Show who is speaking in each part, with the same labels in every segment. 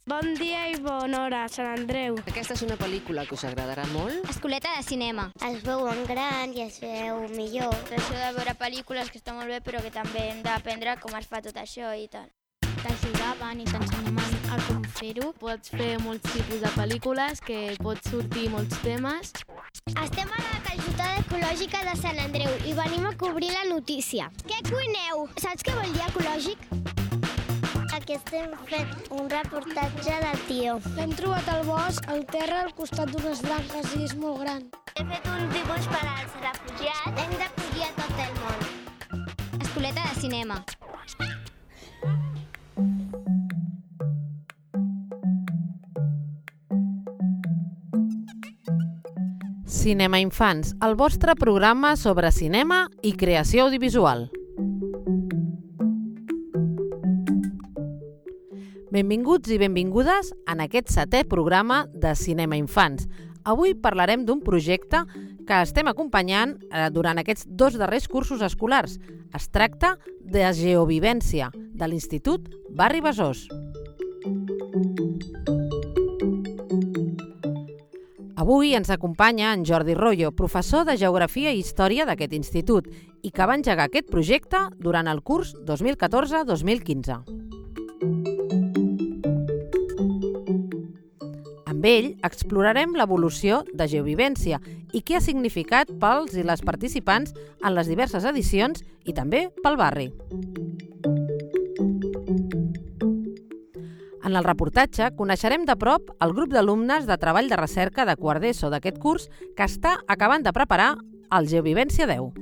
Speaker 1: Bon dia i bona hora, Sant Andreu.
Speaker 2: Aquesta és una pel·lícula que us agradarà molt.
Speaker 3: Escoleta de cinema.
Speaker 4: Es veuen gran i es veu millor.
Speaker 5: Això de veure pel·lícules que està molt bé, però que també hem d'aprendre com es fa tot això i tal.
Speaker 6: T'ajudaven i t'ensenyaven a com fer-ho. Pots fer molts tipus de pel·lícules, que pots sortir molts temes.
Speaker 4: Estem a la calçotada ecològica de Sant Andreu i venim a cobrir la notícia. Què cuineu? Saps què vol dir ecològic? Aquí estem fent un reportatge de Tio.
Speaker 1: L'hem trobat al bosc, al terra, al costat d'unes branques i és molt gran.
Speaker 4: He fet un dibuix per als refugiats. Hem d'acollir a tot el món.
Speaker 3: Escoleta de cinema.
Speaker 7: Cinema Infants, el vostre programa sobre cinema i creació audiovisual. Benvinguts i benvingudes en aquest 7è programa de Cinema Infants. Avui parlarem d'un projecte que estem acompanyant durant aquests 2 darrers cursos escolars. Es tracta de Geovivència, de l'Institut Barri Besòs. Avui ens acompanya en Jordi Royo, professor de Geografia i Història d'aquest institut i que va engegar aquest projecte durant el curs 2014-2015. Amb ell explorarem l'evolució de Geovivència i què ha significat pels i les participants en les diverses edicions i també pel barri. En el reportatge coneixerem de prop el grup d'alumnes de treball de recerca de quart d'ESO d'aquest curs que està acabant de preparar el Geovivència 10.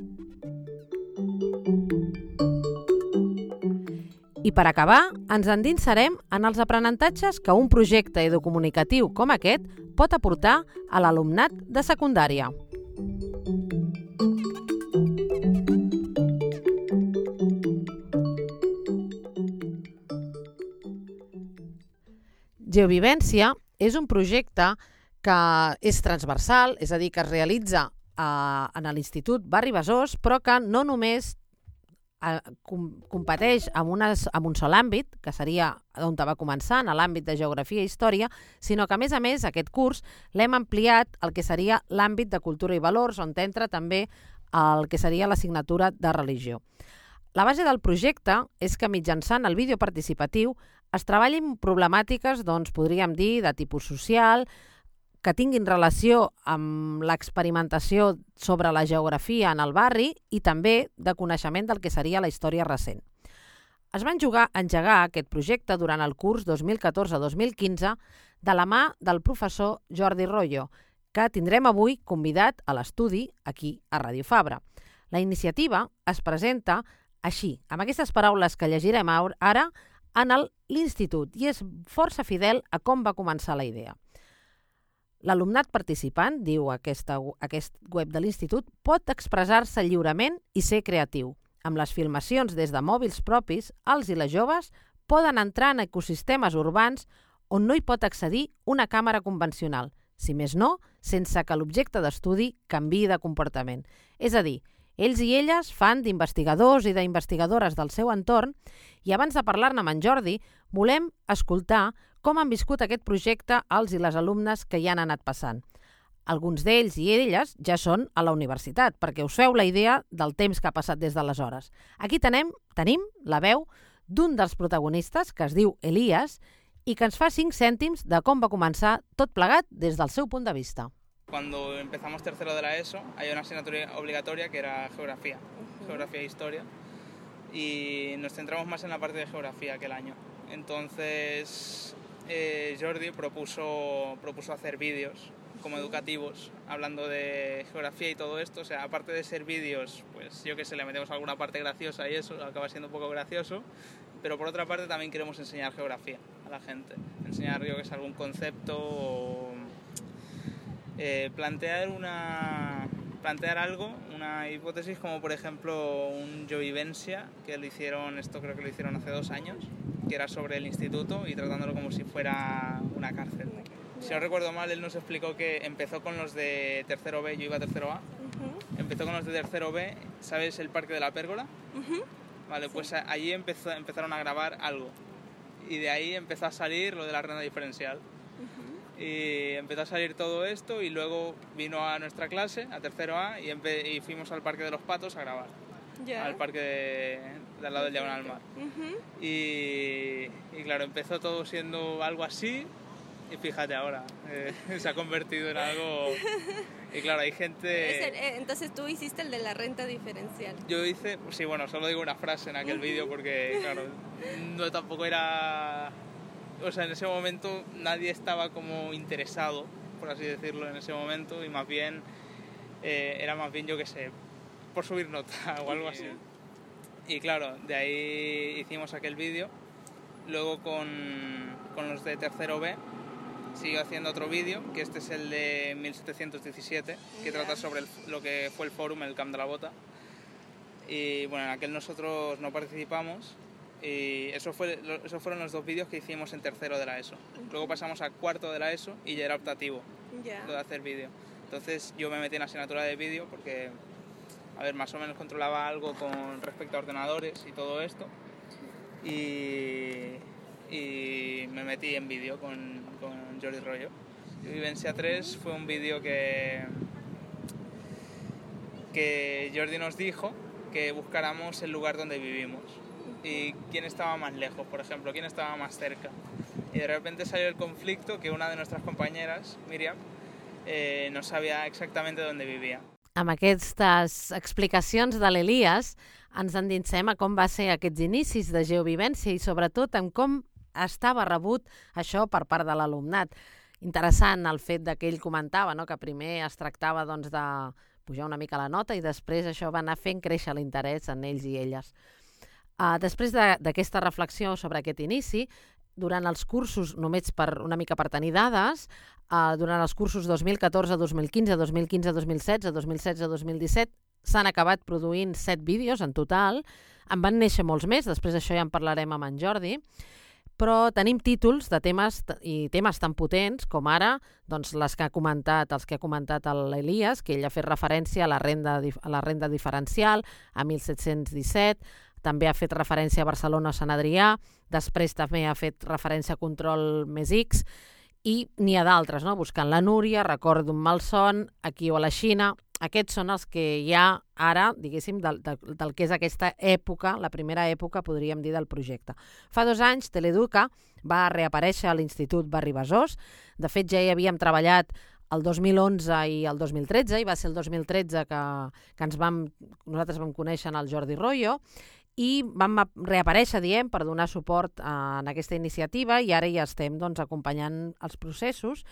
Speaker 7: I per acabar, ens endinsarem en els aprenentatges que un projecte educomunicatiu com aquest pot aportar a l'alumnat de secundària. Geovivència és un projecte que és transversal, és a dir, que es realitza en l'Institut Barri Besòs, però que no només competeix en un sol àmbit, que seria on va començar, en l'àmbit de Geografia i Història, sinó que, a més, aquest curs l'hem ampliat al que seria l'àmbit de Cultura i Valors, on entra també el que seria l'assignatura de Religió. La base del projecte és que mitjançant el vídeo participatiu es treballin problemàtiques, podríem dir, de tipus social, que tinguin relació amb l'experimentació sobre la geografia en el barri i també de coneixement del que seria la història recent. Es va engegar aquest projecte durant el curs 2014-2015 de la mà del professor Jordi Royo, que tindrem avui convidat a l'estudi aquí a Ràdio Fabra. La iniciativa es presenta així, amb aquestes paraules que llegirem ara, en l'Institut i és força fidel a com va començar la idea. L'alumnat participant, diu aquest web de l'Institut, pot expressar-se lliurement i ser creatiu. Amb les filmacions des de mòbils propis, els i les joves poden entrar en ecosistemes urbans on no hi pot accedir una càmera convencional, si més no, sense que l'objecte d'estudi canviï de comportament. És a dir, ells i elles fan d'investigadors i d'investigadores del seu entorn i abans de parlar-ne amb en Jordi, volem escoltar com han viscut aquest projecte els i les alumnes que hi han anat passant. Alguns d'ells i elles ja són a la universitat, perquè us feu la idea del temps que ha passat des d'aleshores. Aquí tenim la veu d'un dels protagonistes, que es diu Elias, i que ens fa 5 cèntims de com va començar tot plegat des del seu punt de vista.
Speaker 8: Cuando empezamos tercero de la ESO, hay una asignatura obligatoria que era geografía, geografía e historia, y nos centramos más en la parte de geografía que el año. Entonces, Jordi propuso hacer vídeos como educativos, hablando de geografía y todo esto. O sea, aparte de ser vídeos, pues yo que sé, le metemos alguna parte graciosa y eso, acaba siendo un poco gracioso, pero por otra parte también queremos enseñar geografía a la gente, enseñar yo que sé, algún concepto o plantear algo, una hipótesis como por ejemplo un Geovivència, que creo que lo hicieron hace 2 años, que era sobre el instituto y tratándolo como si fuera una cárcel. Si no recuerdo mal, él nos explicó que empezó con los de tercero B, yo iba a tercero A, empezó con los de tercero B, ¿sabes el Parque de la Pérgola? Vale, pues allí empezaron a grabar algo. y de ahí empezó a salir lo de la renta diferencial. Y empezó a salir todo esto y luego vino a nuestra clase, a tercero A, y fuimos al Parque de los Patos a grabar. Al parque de al lado del Diagonal Mar. Y claro, empezó todo siendo algo así y fíjate ahora, se ha convertido en algo... Y claro, hay gente...
Speaker 9: Entonces tú hiciste el de la renta diferencial.
Speaker 8: Yo hice, sí, bueno, solo digo una frase en aquel vídeo porque, claro, no tampoco era... O sea, en ese momento nadie estaba como interesado, por así decirlo, en ese momento, y más bien, era más bien, yo qué sé, por subir nota o algo así. Y claro, de ahí hicimos aquel vídeo. Luego con los de tercero B siguió haciendo otro vídeo, que este es el de 1717, que trata sobre lo que fue el fórum, el Camp de la Bota. Y bueno, en aquel nosotros no participamos. Y esos fueron los 2 vídeos que hicimos en tercero de la ESO. Luego pasamos a cuarto de la ESO y ya era optativo lo de hacer vídeo. Entonces yo me metí en la asignatura de vídeo porque, a ver, más o menos controlaba algo con respecto a ordenadores y todo esto. Y me metí en vídeo con Jordi Royo. Vivencia 3 fue un vídeo que Jordi nos dijo que buscáramos el lugar donde vivimos. Y quién estaba más lejos, por ejemplo, quién estaba más cerca. Y de repente salió el conflicto que una de nuestras compañeras, Míriam, no sabia exactament dónde vivia.
Speaker 7: Amb aquestes explicacions de l'Elias ens endinsem a com va ser aquests inicis de geovivència i sobretot en com estava rebut això per part de l'alumnat. Interessant el fet que ell comentava, no? Que primer es tractava doncs, de pujar una mica la nota i després això va anar fent créixer l'interès en ells i elles. Després d'aquesta reflexió sobre aquest inici, durant els cursos, només una mica per tenir dades, durant els cursos 2014-2015, 2015-2016, 2016-2017, s'han acabat produint 7 vídeos en total. En van néixer molts més, després d'això ja en parlarem amb en Jordi, però tenim títols de temes tan potents com ara doncs, els que ha comentat l'Elias, que ell ha fet referència a la renda diferencial, a 1717, també ha fet referència a Barcelona Sant Adrià, després també ha fet referència a Control més X, i n'hi ha d'altres, no? Buscant la Núria, Record d'un malson, Aquí o a la Xina. Aquests són els que hi ha ara, diguéssim, del que és aquesta època, la primera època, podríem dir, del projecte. Fa 2 anys, Teleeduca va reaparèixer a l'Institut Barri Besòs. De fet, ja hi havíem treballat el 2011 i el 2013, i va ser el 2013 que nosaltres vam conèixer el Jordi Royo, i vam reaparèixer, per donar suport en aquesta iniciativa, i ara ja estem acompanyant els processos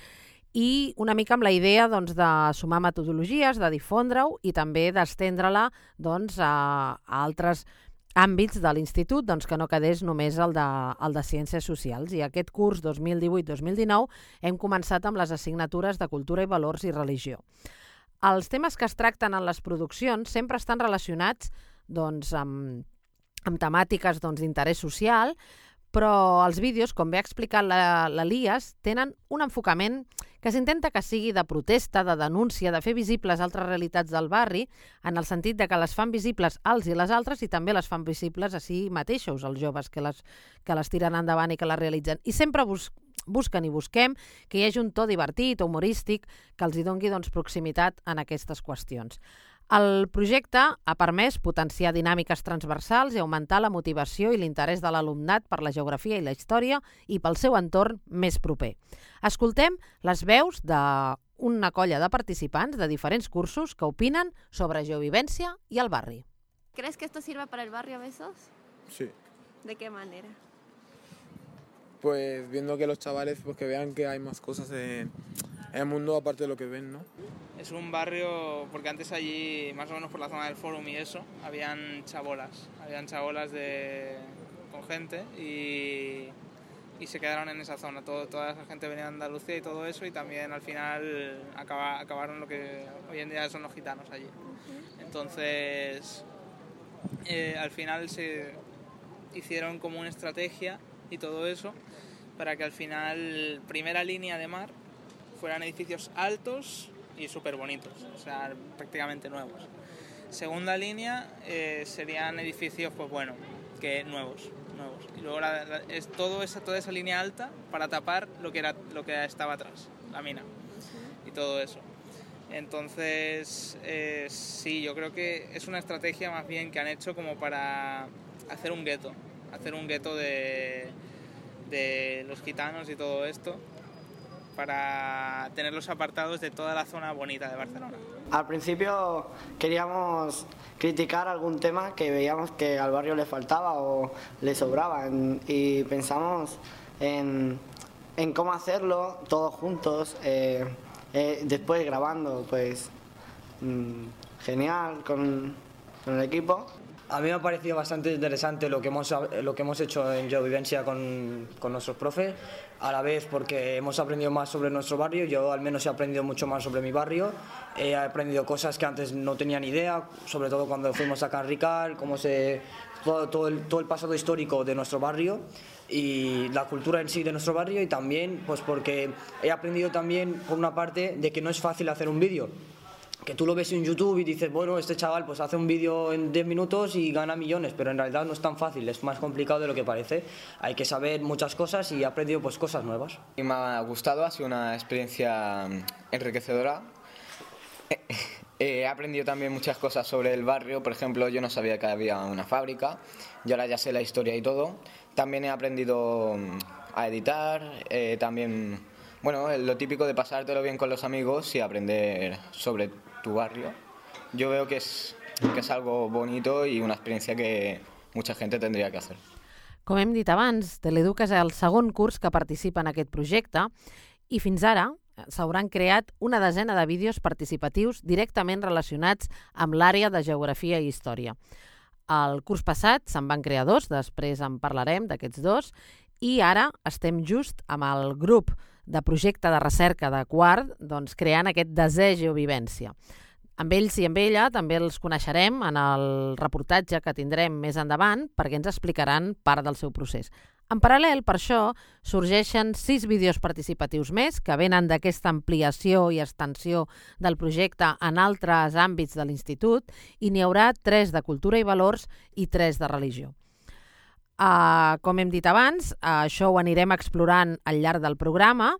Speaker 7: i una mica amb la idea de sumar metodologies, de difondre-ho i també d'estendre-la a altres àmbits de l'institut, que no quedés només el de Ciències Socials. I aquest curs 2018-2019 hem començat amb les assignatures de Cultura i Valors i Religió. Els temes que es tracten en les produccions sempre estan relacionats amb temàtiques d'interès social, però els vídeos, com bé ha explicat l'Elias, tenen un enfocament que s'intenta que sigui de protesta, de denúncia, de fer visibles altres realitats del barri, en el sentit que les fan visibles als i les altres i també les fan visibles a si mateixos, els joves que les tiren endavant i que les realitzen. I sempre busquen i busquem que hi hagi un to divertit o humorístic que els doni proximitat en aquestes qüestions. El projecte ha permès potenciar dinàmiques transversals i augmentar la motivació i l'interès de l'alumnat per la geografia i la història i pel seu entorn més proper. Escoltem les veus d'una colla de participants de diferents cursos que opinen sobre geovivència i el barri.
Speaker 9: ¿Crees que esto sirva para el barrio Besós?
Speaker 10: Sí.
Speaker 9: ¿De qué manera?
Speaker 10: Pues viendo que los chavales que vean que hay más cosas en el mundo aparte de lo que ven, ¿no?
Speaker 8: Es un barrio, porque antes allí, más o menos por la zona del Fórum y eso, habían chabolas con gente y se quedaron en esa zona. Toda esa gente venía de Andalucía y todo eso, y también al final acabaron lo que hoy en día son los gitanos allí. Entonces, al final se hicieron como una estrategia y todo eso para que al final, primera línea de mar, fueran edificios altos y súper bonitos, o sea, prácticamente nuevos. Segunda línea serían edificios, pues bueno, que nuevos nuevos. Y luego es toda esa línea alta para tapar lo que estaba atrás, la mina y todo eso. Entonces, sí, yo creo que es una estrategia más bien que han hecho como para hacer un gueto de los gitanos y todo esto, para tenerlos apartados de toda la zona bonita de Barcelona.
Speaker 11: Al principio queríamos criticar algún tema que veíamos que al barrio le faltaba o le sobraba y pensamos en cómo hacerlo todos juntos, después grabando, pues genial con el equipo.
Speaker 12: A mí me ha parecido bastante interesante lo que hemos hecho en Geovivencia con nuestros profes, a la vez porque hemos aprendido más sobre nuestro barrio. Yo al menos he aprendido mucho más sobre mi barrio, he aprendido cosas que antes no tenía ni idea, sobre todo cuando fuimos a Can Rical, todo el pasado histórico de nuestro barrio y la cultura en sí de nuestro barrio, y también pues porque he aprendido también por una parte de que no es fácil hacer un vídeo. Que tú lo ves en YouTube y dices, bueno, este chaval pues hace un vídeo en 10 minutos y gana millones, pero en realidad no es tan fácil, es más complicado de lo que parece. Hay que saber muchas cosas y he aprendido pues cosas nuevas.
Speaker 13: Y me ha gustado, ha sido una experiencia enriquecedora. He aprendido también muchas cosas sobre el barrio, por ejemplo, yo no sabía que había una fábrica y ahora ya sé la historia y todo. También he aprendido a editar, también, bueno, lo típico de pasártelo bien con los amigos y aprender sobre tu barrio. Yo veo que es algo bonito i una experiència que mucha gent tindria que hacer.
Speaker 7: Com hem dit abans, Teleduc és el segon curs que participa en aquest projecte i fins ara s'hauran creat una desena de vídeos participatius directament relacionats amb l'àrea de geografia i història. El curs passat se'n van crear 2, després en parlarem d'aquests 2, i ara estem just amb el grup de projecte de recerca de quart, doncs, creant aquest desè Geovivència. Amb ells i amb ella també els coneixerem en el reportatge que tindrem més endavant perquè ens explicaran part del seu procés. En paral·lel, per això, sorgeixen 6 vídeos participatius més que venen d'aquesta ampliació i extensió del projecte en altres àmbits de l'Institut i n'hi haurà 3 de cultura i valors i 3 de religió. Com hem dit abans, això ho anirem explorant al llarg del programa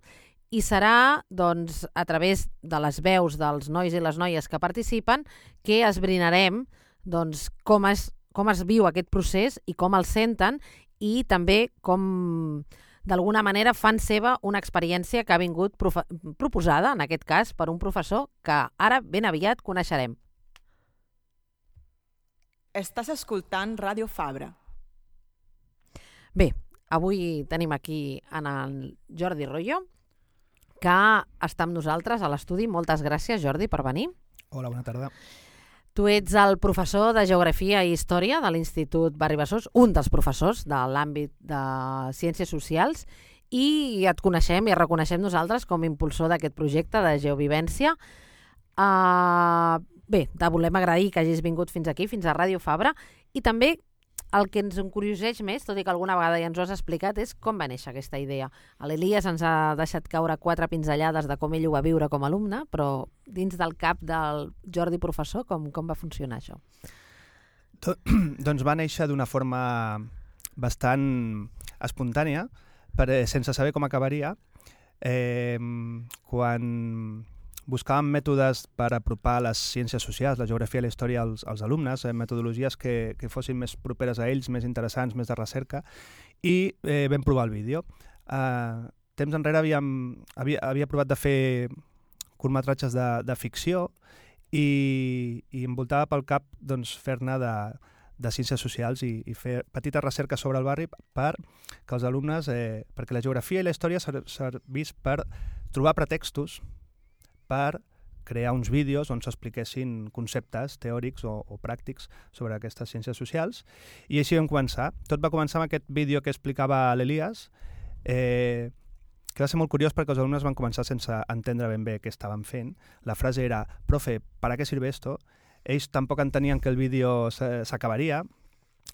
Speaker 7: i serà doncs, a través de les veus dels nois i les noies que participen que esbrinarem doncs, com es viu aquest procés i com el senten i també com d'alguna manera fan seva una experiència que ha vingut proposada, en aquest cas, per un professor que ara ben aviat coneixerem.
Speaker 14: Estàs escoltant Ràdio Fabra.
Speaker 7: Bé, avui tenim aquí en el Jordi Royo, que està amb nosaltres a l'estudi. Moltes gràcies, Jordi, per venir.
Speaker 15: Hola, bona tarda.
Speaker 7: Tu ets el professor de Geografia i Història de l'Institut Barri Besòs, un dels professors de l'àmbit de Ciències Socials, i et coneixem i et reconeixem nosaltres com a impulsor d'aquest projecte de Geovivència. Bé, te volem agrair que hagis vingut fins aquí, fins a Ràdio Fabra, i també el que ens encurioseix més, tot i que alguna vegada ja ens ho has explicat, és com va néixer aquesta idea. L'Elias ens ha deixat caure 4 pinzellades de com ell ho va viure com a alumne, però dins del cap del Jordi professor, com va funcionar això?
Speaker 15: Doncs va néixer d'una forma bastant espontània, sense saber com acabaria. Quan buscàvem mètodes per apropar les ciències socials, la geografia i la història als alumnes, metodologies que fossin més properes a ells, més interessants, més de recerca, i vam provar el vídeo. Temps enrere havia provat de fer curtmetratges de ficció i em voltava pel cap fer-ne de ciències socials i fer petita recerca sobre el barri perquè els alumnes, perquè la geografia i la història servís per trobar pretextos per crear uns vídeos on s'expliquessin conceptes teòrics o pràctics sobre aquestes ciències socials. I així vam començar. Tot va començar amb aquest vídeo que explicava l'Elias, que va ser molt curiós perquè els alumnes van començar sense entendre ben bé què estaven fent. La frase era, profe, ¿para qué sirve esto? Ells tampoc entenien que el vídeo s'acabaria.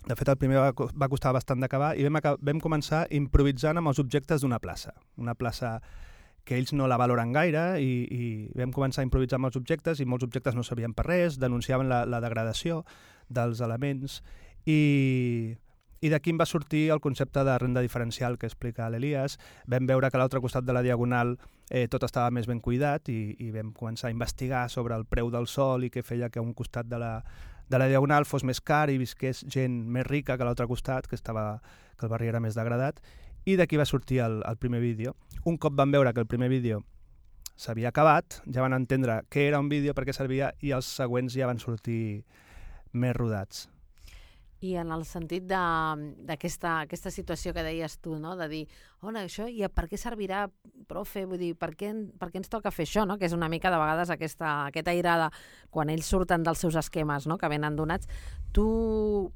Speaker 15: De fet, el primer va costar bastant d'acabar i vam començar improvisant amb els objectes d'una plaça. Una plaça que ells no la valoren gaire i vam començar a improvisar amb els objectes i molts objectes no servien per res, denunciaven la degradació dels elements i I d'aquí em va sortir el concepte de renda diferencial que explica l'Elias. Vam veure que a l'altre costat de la Diagonal tot estava més ben cuidat i vam començar a investigar sobre el preu del sòl i què feia que a un costat de la Diagonal fos més car i visqués gent més rica que a l'altre costat, que el barri era més degradat. I d'aquí va sortir el primer vídeo. Un cop van veure que el primer vídeo s'havia acabat, ja van entendre què era un vídeo, per què servia, i els següents ja van sortir més rodats.
Speaker 7: I en el sentit d'aquesta situació que deies tu, no? De dir, això, i per què servirà, profe? Vull dir, per què ens toca fer això? No? Que és una mica, de vegades, aquesta airada, quan ells surten dels seus esquemes, no? Que venen donats. Tu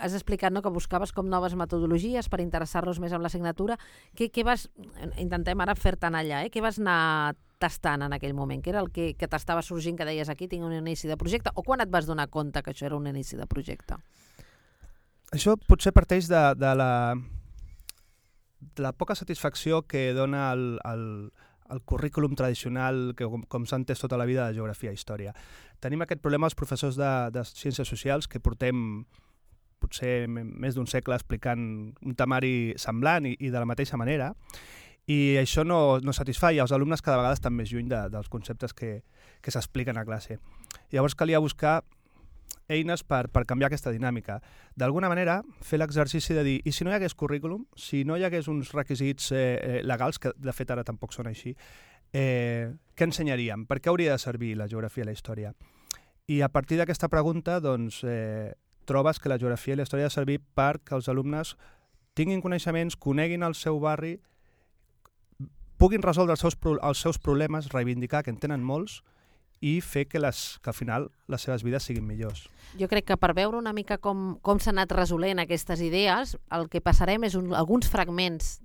Speaker 7: has explicat, no?, que buscaves com noves metodologies per interessar-los més amb l'assignatura. Intentem ara fer-te anar allà, què vas anar tastant en aquell moment? Què era el que t'estava sorgint, que deies aquí tinc un inici de projecte? O quan et vas donar compte que això era un inici de projecte?
Speaker 15: Això potser parteix de la poca satisfacció que dona el currículum tradicional, que com s'ha entès tota la vida de geografia i història. Tenim aquest problema els professors de ciències socials, que portem potser més d'un segle explicant un temari semblant i de la mateixa manera, i això no satisfà, i els alumnes cada vegada estan més lluny dels conceptes que s'expliquen a classe. Llavors calia buscar eines per canviar aquesta dinàmica. D'alguna manera, fer l'exercici de dir, i si no hi hagués currículum, si no hi hagués uns requisits legals, que de fet ara tampoc són així, què ensenyaríem? Per què hauria de servir la geografia i la història? I a partir d'aquesta pregunta, doncs, trobes que la geografia i la història ha de servir perquè els alumnes tinguin coneixements, coneguin el seu barri, puguin resoldre els seus problemes, reivindicar, que en tenen molts, i fer que al final les seves vides siguin millors.
Speaker 7: Jo crec que per veure una mica com s'han anat resolent aquestes idees, el que passarem és alguns fragments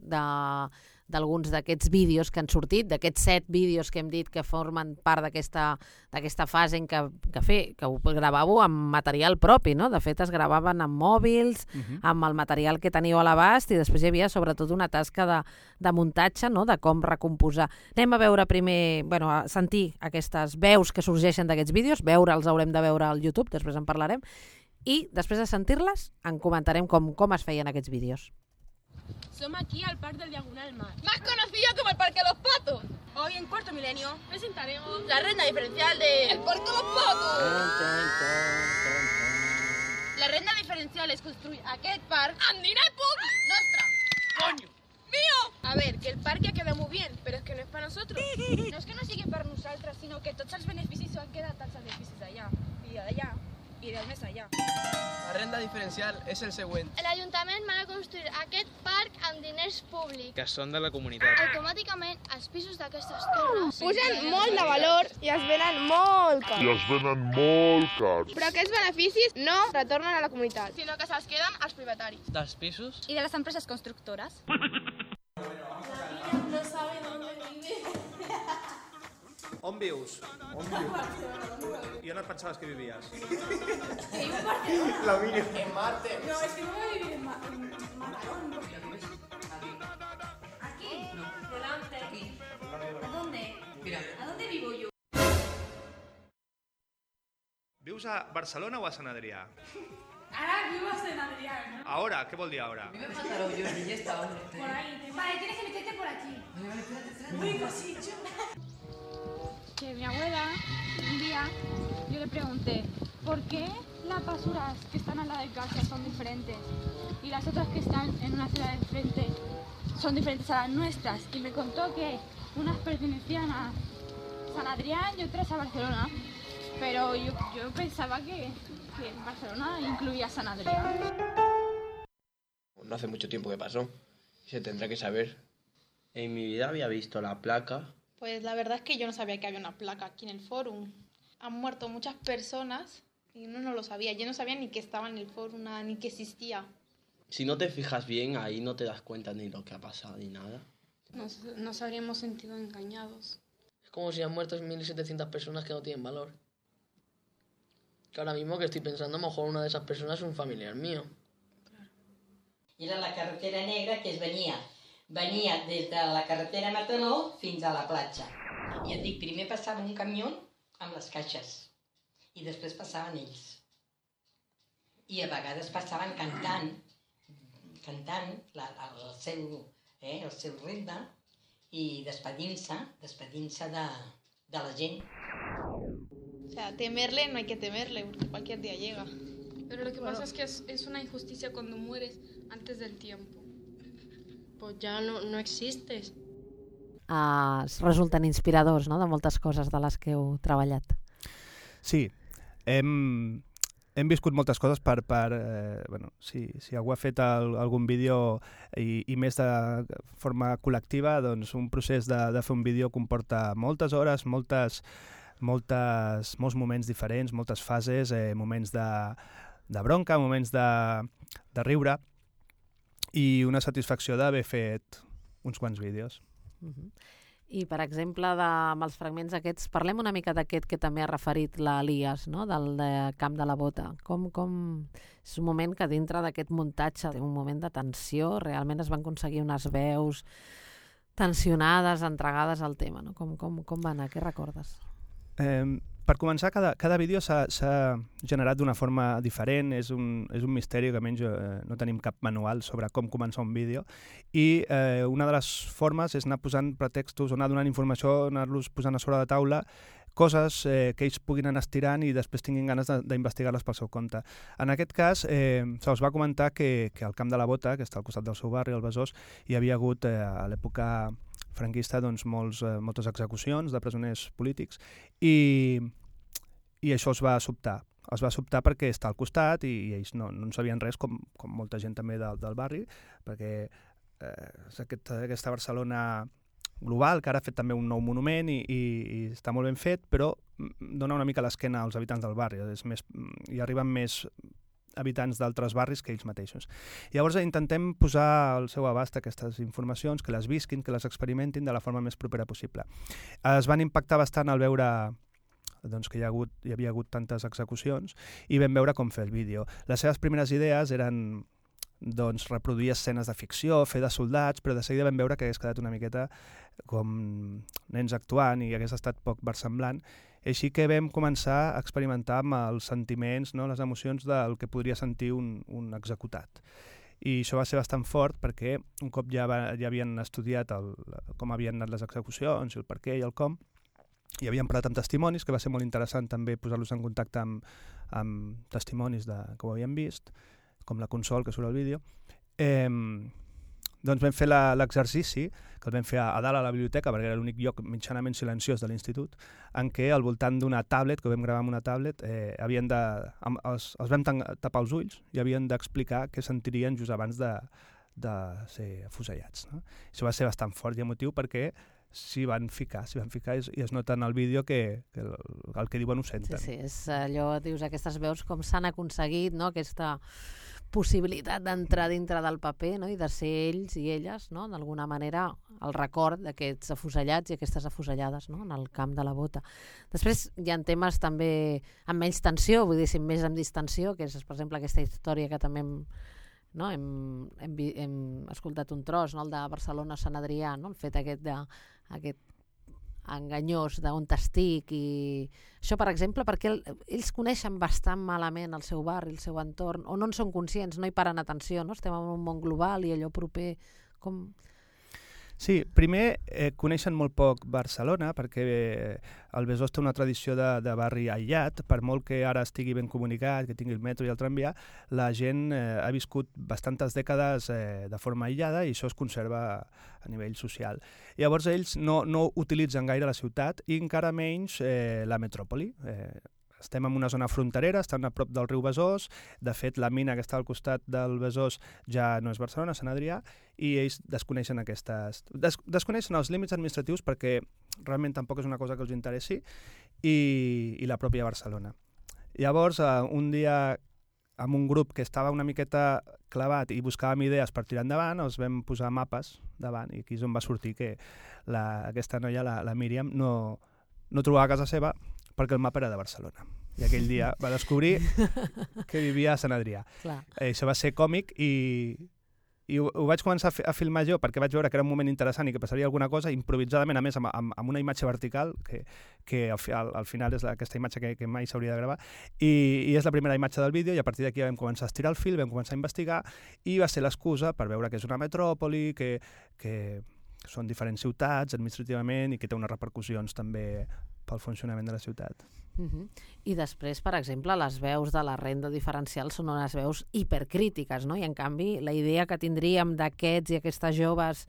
Speaker 7: d'alguns d'aquests vídeos que han sortit, d'aquests 7 vídeos que hem dit que formen part d'aquesta fase en què ho gravàveu amb material propi, no? De fet, es gravaven amb mòbils, amb el material que teníeu a l'abast, i després hi havia sobretot una tasca de muntatge, no? De com recomposar. Anem a veure primer, a sentir aquestes veus que sorgeixen d'aquests vídeos, veure'ls haurem de veure al YouTube, després en parlarem, i després de sentir-les en comentarem com es feien aquests vídeos.
Speaker 16: Somos aquí al Parque del Diagonal Mar, más conocido como el Parque de los Patos. Hoy en Cuarto Milenio presentaremos la renda diferencial del Parque de los Patos. La renda diferencial es construir aquest parc amb diner públic nostre. Coño! Mío! A ver, que el parque queda muy bien, pero es que no es para nosotros. No es que no sigui per nosaltres, sinó que tots els beneficis han quedat als edificis d'allà i d'allà i del més allà.
Speaker 17: La renda diferencial és el següent.
Speaker 4: L'Ajuntament va construir aquest parc amb diners públics.
Speaker 8: Que són de la comunitat.
Speaker 4: Automàticament, els pisos d'aquestes torres
Speaker 16: pugen molt de valor i es venen molt cars. Però aquests beneficis no retornen a la comunitat, sinó que se'ls queden als privataris.
Speaker 17: Dels pisos?
Speaker 3: I de les empreses constructores.
Speaker 16: No sabe dónde vive.
Speaker 15: On vius? I on et pensaves que vivies?
Speaker 16: Que vivo en Barcelona.
Speaker 15: La mía.
Speaker 17: En Marte.
Speaker 16: No, es que no voy a vivir en Matarón. Aquí. Delante. Aquí. ¿A dónde? Mira. ¿A dónde vivo yo?
Speaker 15: Vius a Barcelona o a Sant Adrià?
Speaker 16: Ahora vivo a Sant Adrià, ¿no?
Speaker 15: Ahora, ¿qué vol dir ahora?
Speaker 17: Vive en Mataró, yo ni ya está, hombre.
Speaker 16: Por ahí. Vale, tienes que meterte por aquí.
Speaker 17: Vale, espérate.
Speaker 16: Muy cosito.
Speaker 18: Que mi abuela, un día, yo le pregunté, ¿por qué las basuras que están al lado de casa son diferentes y las otras que están en una ciudad diferente son diferentes a las nuestras? Y me contó que unas pertenecían a San Adrián y otras a Barcelona, pero yo pensaba que Barcelona incluía San Adrián.
Speaker 19: No hace mucho tiempo que pasó, se tendrá que saber. En mi vida había visto la placa.
Speaker 20: Pues la verdad es que yo no sabía que había una placa aquí en el Fórum. Han muerto muchas personas y uno no lo sabía. Yo no sabía ni que estaba en el Fórum, nada, ni que existía.
Speaker 19: Si no te fijas bien, ahí no te das cuenta ni lo que ha pasado ni nada.
Speaker 20: Nos habríamos sentido engañados.
Speaker 17: Es como si han muerto 1.700 personas que no tienen valor. Que ahora mismo que estoy pensando, a lo mejor una de esas personas es un familiar mío.
Speaker 21: Claro. Era la carretera negra que es venia des de la carretera Mataró fins a la platja. I et dic, primer passava un camió amb les caixes i després passaven ells. I a vegades passaven cantant cantant el seu ritme i despedint-se de la gent.
Speaker 20: O sea, temerle no hay que temerle, porque cualquier día llega.
Speaker 18: Pero lo que pasa es que es una injusticia cuando mueres antes del tiempo.
Speaker 2: Pues ya no existes.
Speaker 7: Resulten inspiradors, no?, de moltes coses de les que heu treballat.
Speaker 15: Sí, hem viscut moltes coses si algú ha fet algun vídeo i més de forma col·lectiva, doncs un procés de fer un vídeo comporta moltes hores, molts moments diferents, moltes fases, moments de bronca, moments de riure i una satisfacció d'haver fet uns quants vídeos.
Speaker 7: I, per exemple, amb els fragments aquests, parlem una mica d'aquest que també ha referit l'Elias, no?, del Camp de la Bota. Com és un moment que dintre d'aquest muntatge, un moment de tensió, realment es van aconseguir unes veus tensionades, entregades al tema, no? Com va anar? Què recordes?
Speaker 15: Per començar, cada vídeo s'ha generat d'una forma diferent, és un misteri que almenys no tenim cap manual sobre com començar un vídeo, i una de les formes és anar posant pretextos, anar donant informació, anar-los posant a sobre la taula, coses que ells puguin anar estirant i després tinguin ganes d'investigar-les pel seu compte. En aquest cas, se'ls va comentar que al Camp de la Bota, que està al costat del seu barri, al Besòs, hi havia hagut a l'època franquista moltes execucions de presoners polítics i això es va sobtar. Es va sobtar perquè està al costat i ells no en sabien res, com molta gent també del barri, perquè és aquesta Barcelona global, que ara ha fet també un nou monument i està molt ben fet, però dona una mica l'esquena als habitants del barri. Hi arriben més habitants d'altres barris que ells mateixos. Llavors intentem posar al seu abast aquestes informacions, que les visquin, que les experimentin de la forma més propera possible. Es van impactar bastant al veure que hi havia hagut tantes execucions i vam veure com fer el vídeo. Les seves primeres idees eren reproduir escenes de ficció, fer de soldats, però de seguida vam veure que hagués quedat una miqueta com nens actuant i hagués estat poc versemblant. Així que vam començar a experimentar amb els sentiments, les emocions del que podria sentir un executat. I això va ser bastant fort perquè un cop ja havien estudiat com havien anat les execucions, el per què i el com, i havíem parlat amb testimonis, que va ser molt interessant també posar-los en contacte amb testimonis que ho havien vist, com la Consol, que surt al vídeo. Doncs vam fer l'exercici, que el vam fer a dalt a la biblioteca, perquè era l'únic lloc mitjanament silenciós de l'institut, en què al voltant d'una tablet, que ho vam gravar amb una tablet, els vam tapar els ulls i havien d'explicar què sentirien just abans de ser afusellats. Això va ser bastant fort i emotiu perquè s'hi van ficar i es nota en el vídeo que el que diuen ho senten.
Speaker 7: Sí, és allò, dius, aquestes veus com s'han aconseguit, aquesta possibilitat d'entrar dintre del paper, i de ser ells i elles, d'alguna manera, el record d'aquests afusellats i aquestes afusellades en el Camp de la Bota. Després hi ha temes també amb menys tensió, vull dir, més amb distensió, que és, per exemple, aquesta història que també hem escoltat un tros, el de Barcelona-Sant Adrià, el fet aquest enganyós d'on t'estic, i això, per exemple, perquè ells coneixen bastant malament el seu barri, el seu entorn, o no en són conscients, no hi paren atenció, estem en un món global i allò proper, com...
Speaker 15: Sí, primer coneixen molt poc Barcelona, perquè el Besòs té una tradició de barri aïllat, per molt que ara estigui ben comunicat, que tingui el metro i el tramvia, la gent ha viscut bastantes dècades de forma aïllada i això es conserva a nivell social. Llavors ells no utilitzen gaire la ciutat i encara menys la metròpoli. Estem en una zona fronterera, estem a prop del riu Besòs, de fet la mina que està al costat del Besòs ja no és Barcelona, Sant Adrià, i ells desconeixen desconeixen els límits administratius perquè realment tampoc és una cosa que els interessi, i la pròpia Barcelona. Llavors, un dia, amb un grup que estava una miqueta clavat i buscàvem idees per tirar endavant, els vam posar mapes davant, i aquí és on va sortir que aquesta noia, la Míriam, no trobava casa seva perquè el mapa era de Barcelona. I aquell dia va descobrir que vivia a Sant Adrià. Això va ser còmic i I ho vaig començar a filmar jo perquè vaig veure que era un moment interessant i que passaria alguna cosa, improvisadament, a més, amb una imatge vertical, que al final és aquesta imatge que mai s'hauria de gravar, i és la primera imatge del vídeo, i a partir d'aquí vam començar a estirar el fil, vam començar a investigar, i va ser l'excusa per veure que és una metròpoli, que són diferents ciutats administrativament i que té unes repercussions també pel funcionament de la ciutat.
Speaker 7: I després, per exemple, les veus de la renda diferencial són unes veus hipercrítiques, no? I en canvi la idea que tindríem d'aquests i aquestes joves,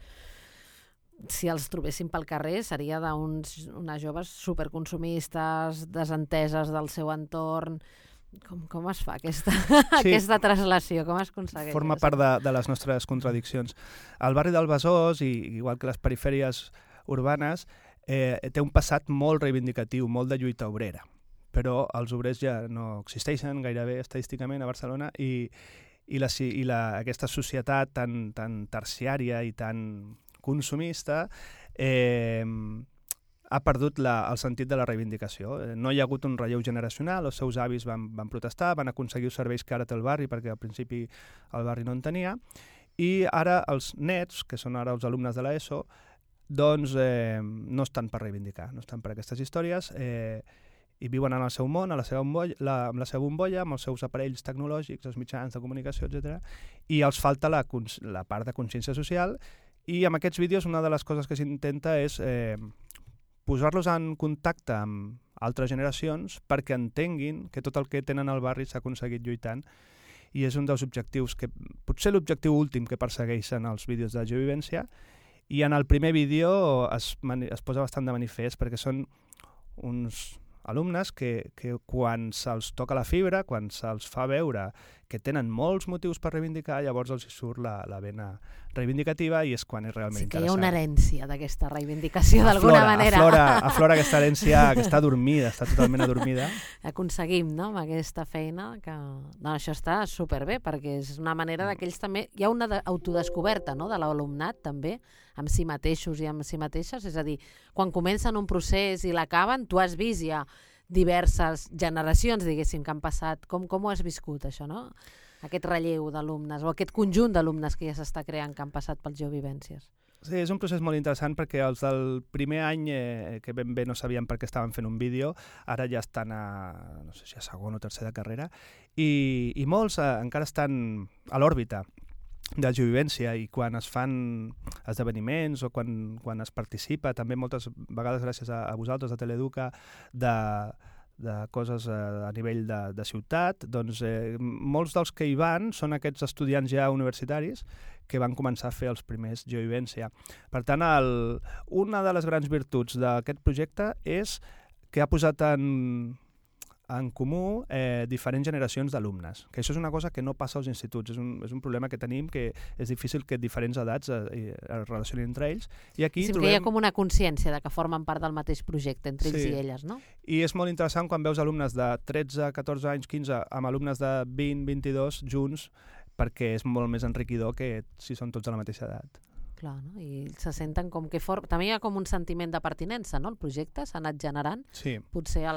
Speaker 7: si els trobéssim pel carrer, seria d'unes joves superconsumistes, desenteses del seu entorn. Com es fa aquesta translació? Com es aconsegueix?
Speaker 15: Forma part de les nostres contradiccions. El barri del Besòs, igual que les perifèries urbanes, té un passat molt reivindicatiu, molt de lluita obrera, però els obrers ja no existeixen gairebé estadísticament a Barcelona i aquesta societat tan terciària i tan consumista ha perdut el sentit de la reivindicació. No hi ha hagut un relleu generacional, els seus avis van protestar, van aconseguir els serveis que ara té el barri, perquè al principi el barri no en tenia, i ara els nets, que són ara els alumnes de l'ESO, doncs no estan per reivindicar, no estan per aquestes històries, i viuen en el seu món, amb la seva bombolla, amb els seus aparells tecnològics, els mitjans de comunicació, etc. I els falta la part de consciència social, i amb aquests vídeos una de les coses que s'intenta és posar-los en contacte amb altres generacions perquè entenguin que tot el que tenen al barri s'ha aconseguit lluitant, i és un dels objectius, potser l'objectiu últim que persegueixen els vídeos de geovivència. I en el primer vídeo es posa bastant de manifest perquè són uns alumnes que quan se'ls toca la fibra, quan se'ls fa veure que tenen molts motius per reivindicar, llavors els hi surt la vena reivindicativa i és quan és realment interessant.
Speaker 7: Sí que hi ha una herència d'aquesta reivindicació d'alguna manera.
Speaker 15: Aflora aquesta herència que està adormida, està totalment adormida.
Speaker 7: Aconseguim, no?, amb aquesta feina que... No, això està superbé perquè és una manera d'aquells també... Hi ha una autodescoberta, no?, de l'alumnat també, amb si mateixos i amb si mateixes, és a dir, quan comencen un procés i l'acaben, tu has vist ja diverses generacions, diguéssim, que han passat. Com ho has viscut, això, no? Aquest relleu d'alumnes, o aquest conjunt d'alumnes que ja s'està creant, que han passat per geovivències.
Speaker 15: Sí, és un procés molt interessant perquè els del primer any, que ben bé no sabien per què estaven fent un vídeo, ara ja estan no sé si a segon o tercer de carrera, i molts encara estan a l'òrbita de geovivència, i quan es fan esdeveniments o quan es participa, també moltes vegades gràcies a vosaltres, a Teleeduca, de coses a nivell de ciutat, doncs molts dels que hi van són aquests estudiants ja universitaris que van començar a fer els primers geovivència. Per tant, una de les grans virtuts d'aquest projecte és que ha posat en comú diferents generacions d'alumnes, que això és una cosa que no passa als instituts, és un problema que tenim, que és difícil que diferents edats es relacionin entre ells, i aquí
Speaker 7: trobem... que hi ha com una consciència de que formen part del mateix projecte entre ells i elles, no?
Speaker 15: I és molt interessant quan veus alumnes de 13, 14 anys, 15, amb alumnes de 20, 22 junts, perquè és molt més enriquidor que si són tots de la mateixa edat.
Speaker 7: Clar, no? I se senten com que... També hi ha com un sentiment de pertinença, no? El projecte s'ha anat generant.
Speaker 15: Sí.
Speaker 7: Potser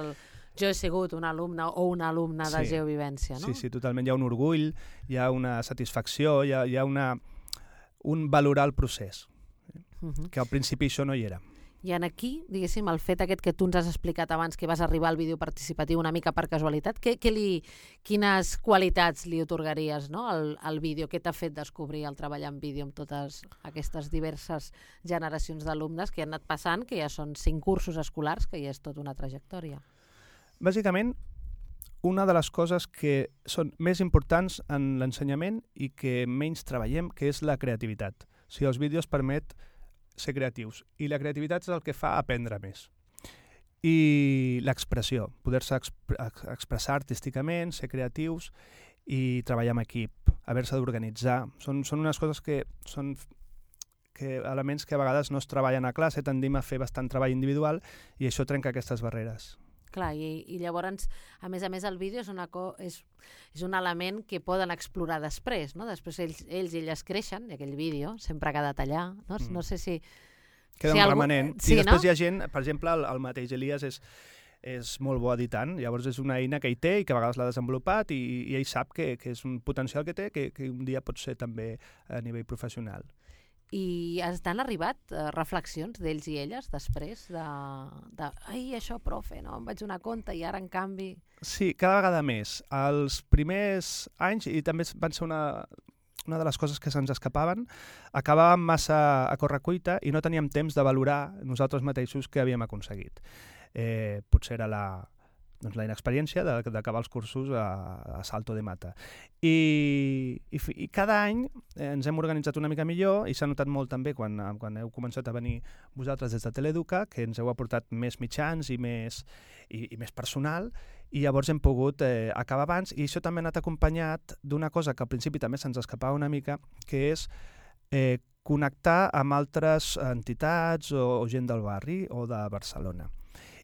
Speaker 7: jo he sigut un alumne o una alumna de geovivència, no?
Speaker 15: Sí, totalment. Hi ha un orgull, hi ha una satisfacció, hi ha un valorar el procés, que al principi això no hi era.
Speaker 7: I aquí, diguéssim, el fet aquest que tu ens has explicat abans, que vas arribar al vídeo participatiu una mica per casualitat, quines qualitats li atorgaries, no, al vídeo? Què t'ha fet descobrir el treballar en vídeo amb totes aquestes diverses generacions d'alumnes que han anat passant, que ja són 5 cursos escolars, que ja és tota una trajectòria?
Speaker 15: Bàsicament, una de les coses que són més importants en l'ensenyament i que menys treballem, que és la creativitat. O sigui, els vídeos permet ser creatius, i la creativitat és el que fa aprendre més. I l'expressió, poder-se expressar artísticament, ser creatius i treballar en equip, haver-se d'organitzar. Són unes coses que són elements que a vegades no es treballen a classe, tendim a fer bastant treball individual i això trenca aquestes barreres.
Speaker 7: Clar, i llavors, a més, el vídeo és un element que poden explorar després, no? Després ells i elles creixen, i aquell vídeo sempre ha quedat allà, no? No sé si...
Speaker 15: Queda un remanent. I després hi ha gent, per exemple, el mateix Elias és molt bo editant, llavors és una eina que ell té i que a vegades l'ha desenvolupat i ell sap que és un potencial que té que un dia pot ser també a nivell professional.
Speaker 7: I t'han arribat reflexions d'ells i elles després de ai, això, profe, no? Em vaig donar compte i ara, en canvi...
Speaker 15: Sí, cada vegada més. Els primers anys, i també van ser una de les coses que se'ns escapaven, acabàvem massa a correcuita i no teníem temps de valorar nosaltres mateixos què havíem aconseguit. Potser era la inexperiència d'acabar els cursos a Salto de Mata. I cada any ens hem organitzat una mica millor i s'ha notat molt també quan heu començat a venir vosaltres des de Teleeduca, que ens heu aportat més mitjans i més personal, i llavors hem pogut acabar abans, i això també ha anat acompanyat d'una cosa que al principi també se'ns escapava una mica, que és connectar amb altres entitats o gent del barri o de Barcelona.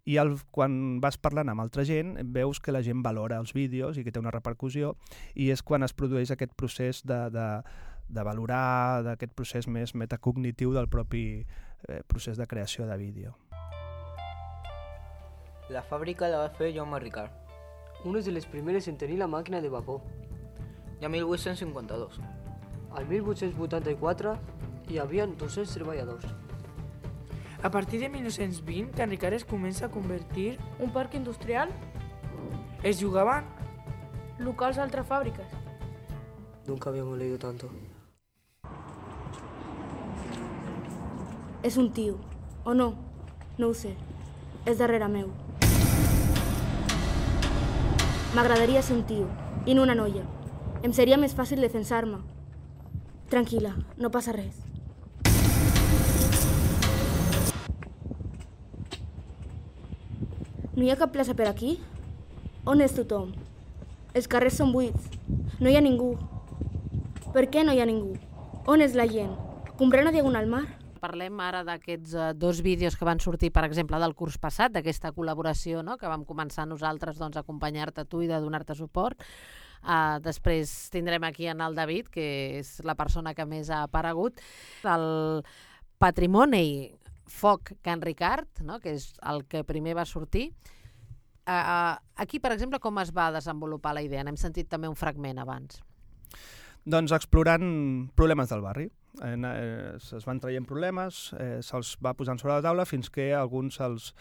Speaker 15: I quan vas parlant amb altra gent veus que la gent valora els vídeos i que té una repercussió, i és quan es produeix aquest procés de valorar, d'aquest procés més metacognitiu del propi procés de creació de vídeo.
Speaker 5: La fàbrica la va fer Jaume Ricard,
Speaker 22: unes de les primeres en tenir la màquina de vapor.
Speaker 5: I a 1852.
Speaker 22: Al 1884 hi havia 200 treballadors.
Speaker 23: A partir de 1920, Can Ricard es comença a convertir
Speaker 18: un parc industrial.
Speaker 23: Es jugaban
Speaker 18: locals a altres fàbriques.
Speaker 22: Nunca habíamos leído tanto.
Speaker 18: És un tio, o no? No ho sé. És darrere meu. M'agradaria ser un tio, i no una noia. Em seria més fàcil defensar-me. Tranquil·la, no passa res. No hi ha cap plaça per aquí? On és tothom? Els carrers són buits. No hi ha ningú. Per què no hi ha ningú? On és la gent? Comprant a Diagonal Mar?
Speaker 7: Parlem ara d'aquests 2 vídeos que van sortir, per exemple, del curs passat, d'aquesta col·laboració, no?, que vam començar nosaltres a acompanyar-te tu i de donar-te suport. Després tindrem aquí en el David, que és la persona que més ha aparegut. El Patrimoni Foc Can Ricard, no?, que és el que primer va sortir. Aquí, per exemple, com es va desenvolupar la idea? N'hem sentit també un fragment abans.
Speaker 15: Doncs explorant problemes del barri. Es van traient problemes, se'ls va posant sobre la taula fins que alguns se'ls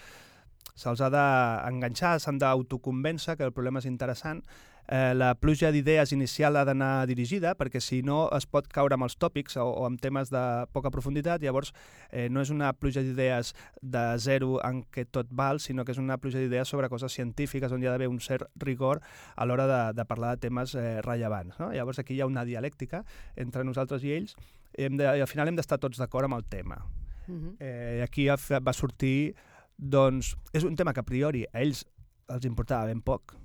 Speaker 15: ha d'enganxar, s'han d'autoconvèncer que el problema és interessant. La pluja d'idees inicial ha d'anar dirigida, perquè si no es pot caure amb els tòpics o amb temes de poca profunditat, llavors no és una pluja d'idees de zero en què tot val, sinó que és una pluja d'idees sobre coses científiques on hi ha d'haver un cert rigor a l'hora de parlar de temes rellevants, no? Llavors aquí hi ha una dialèctica entre nosaltres i ells, i al final hem d'estar tots d'acord amb el tema. I aquí va sortir, doncs, és un tema que a priori a ells els importava ben poc,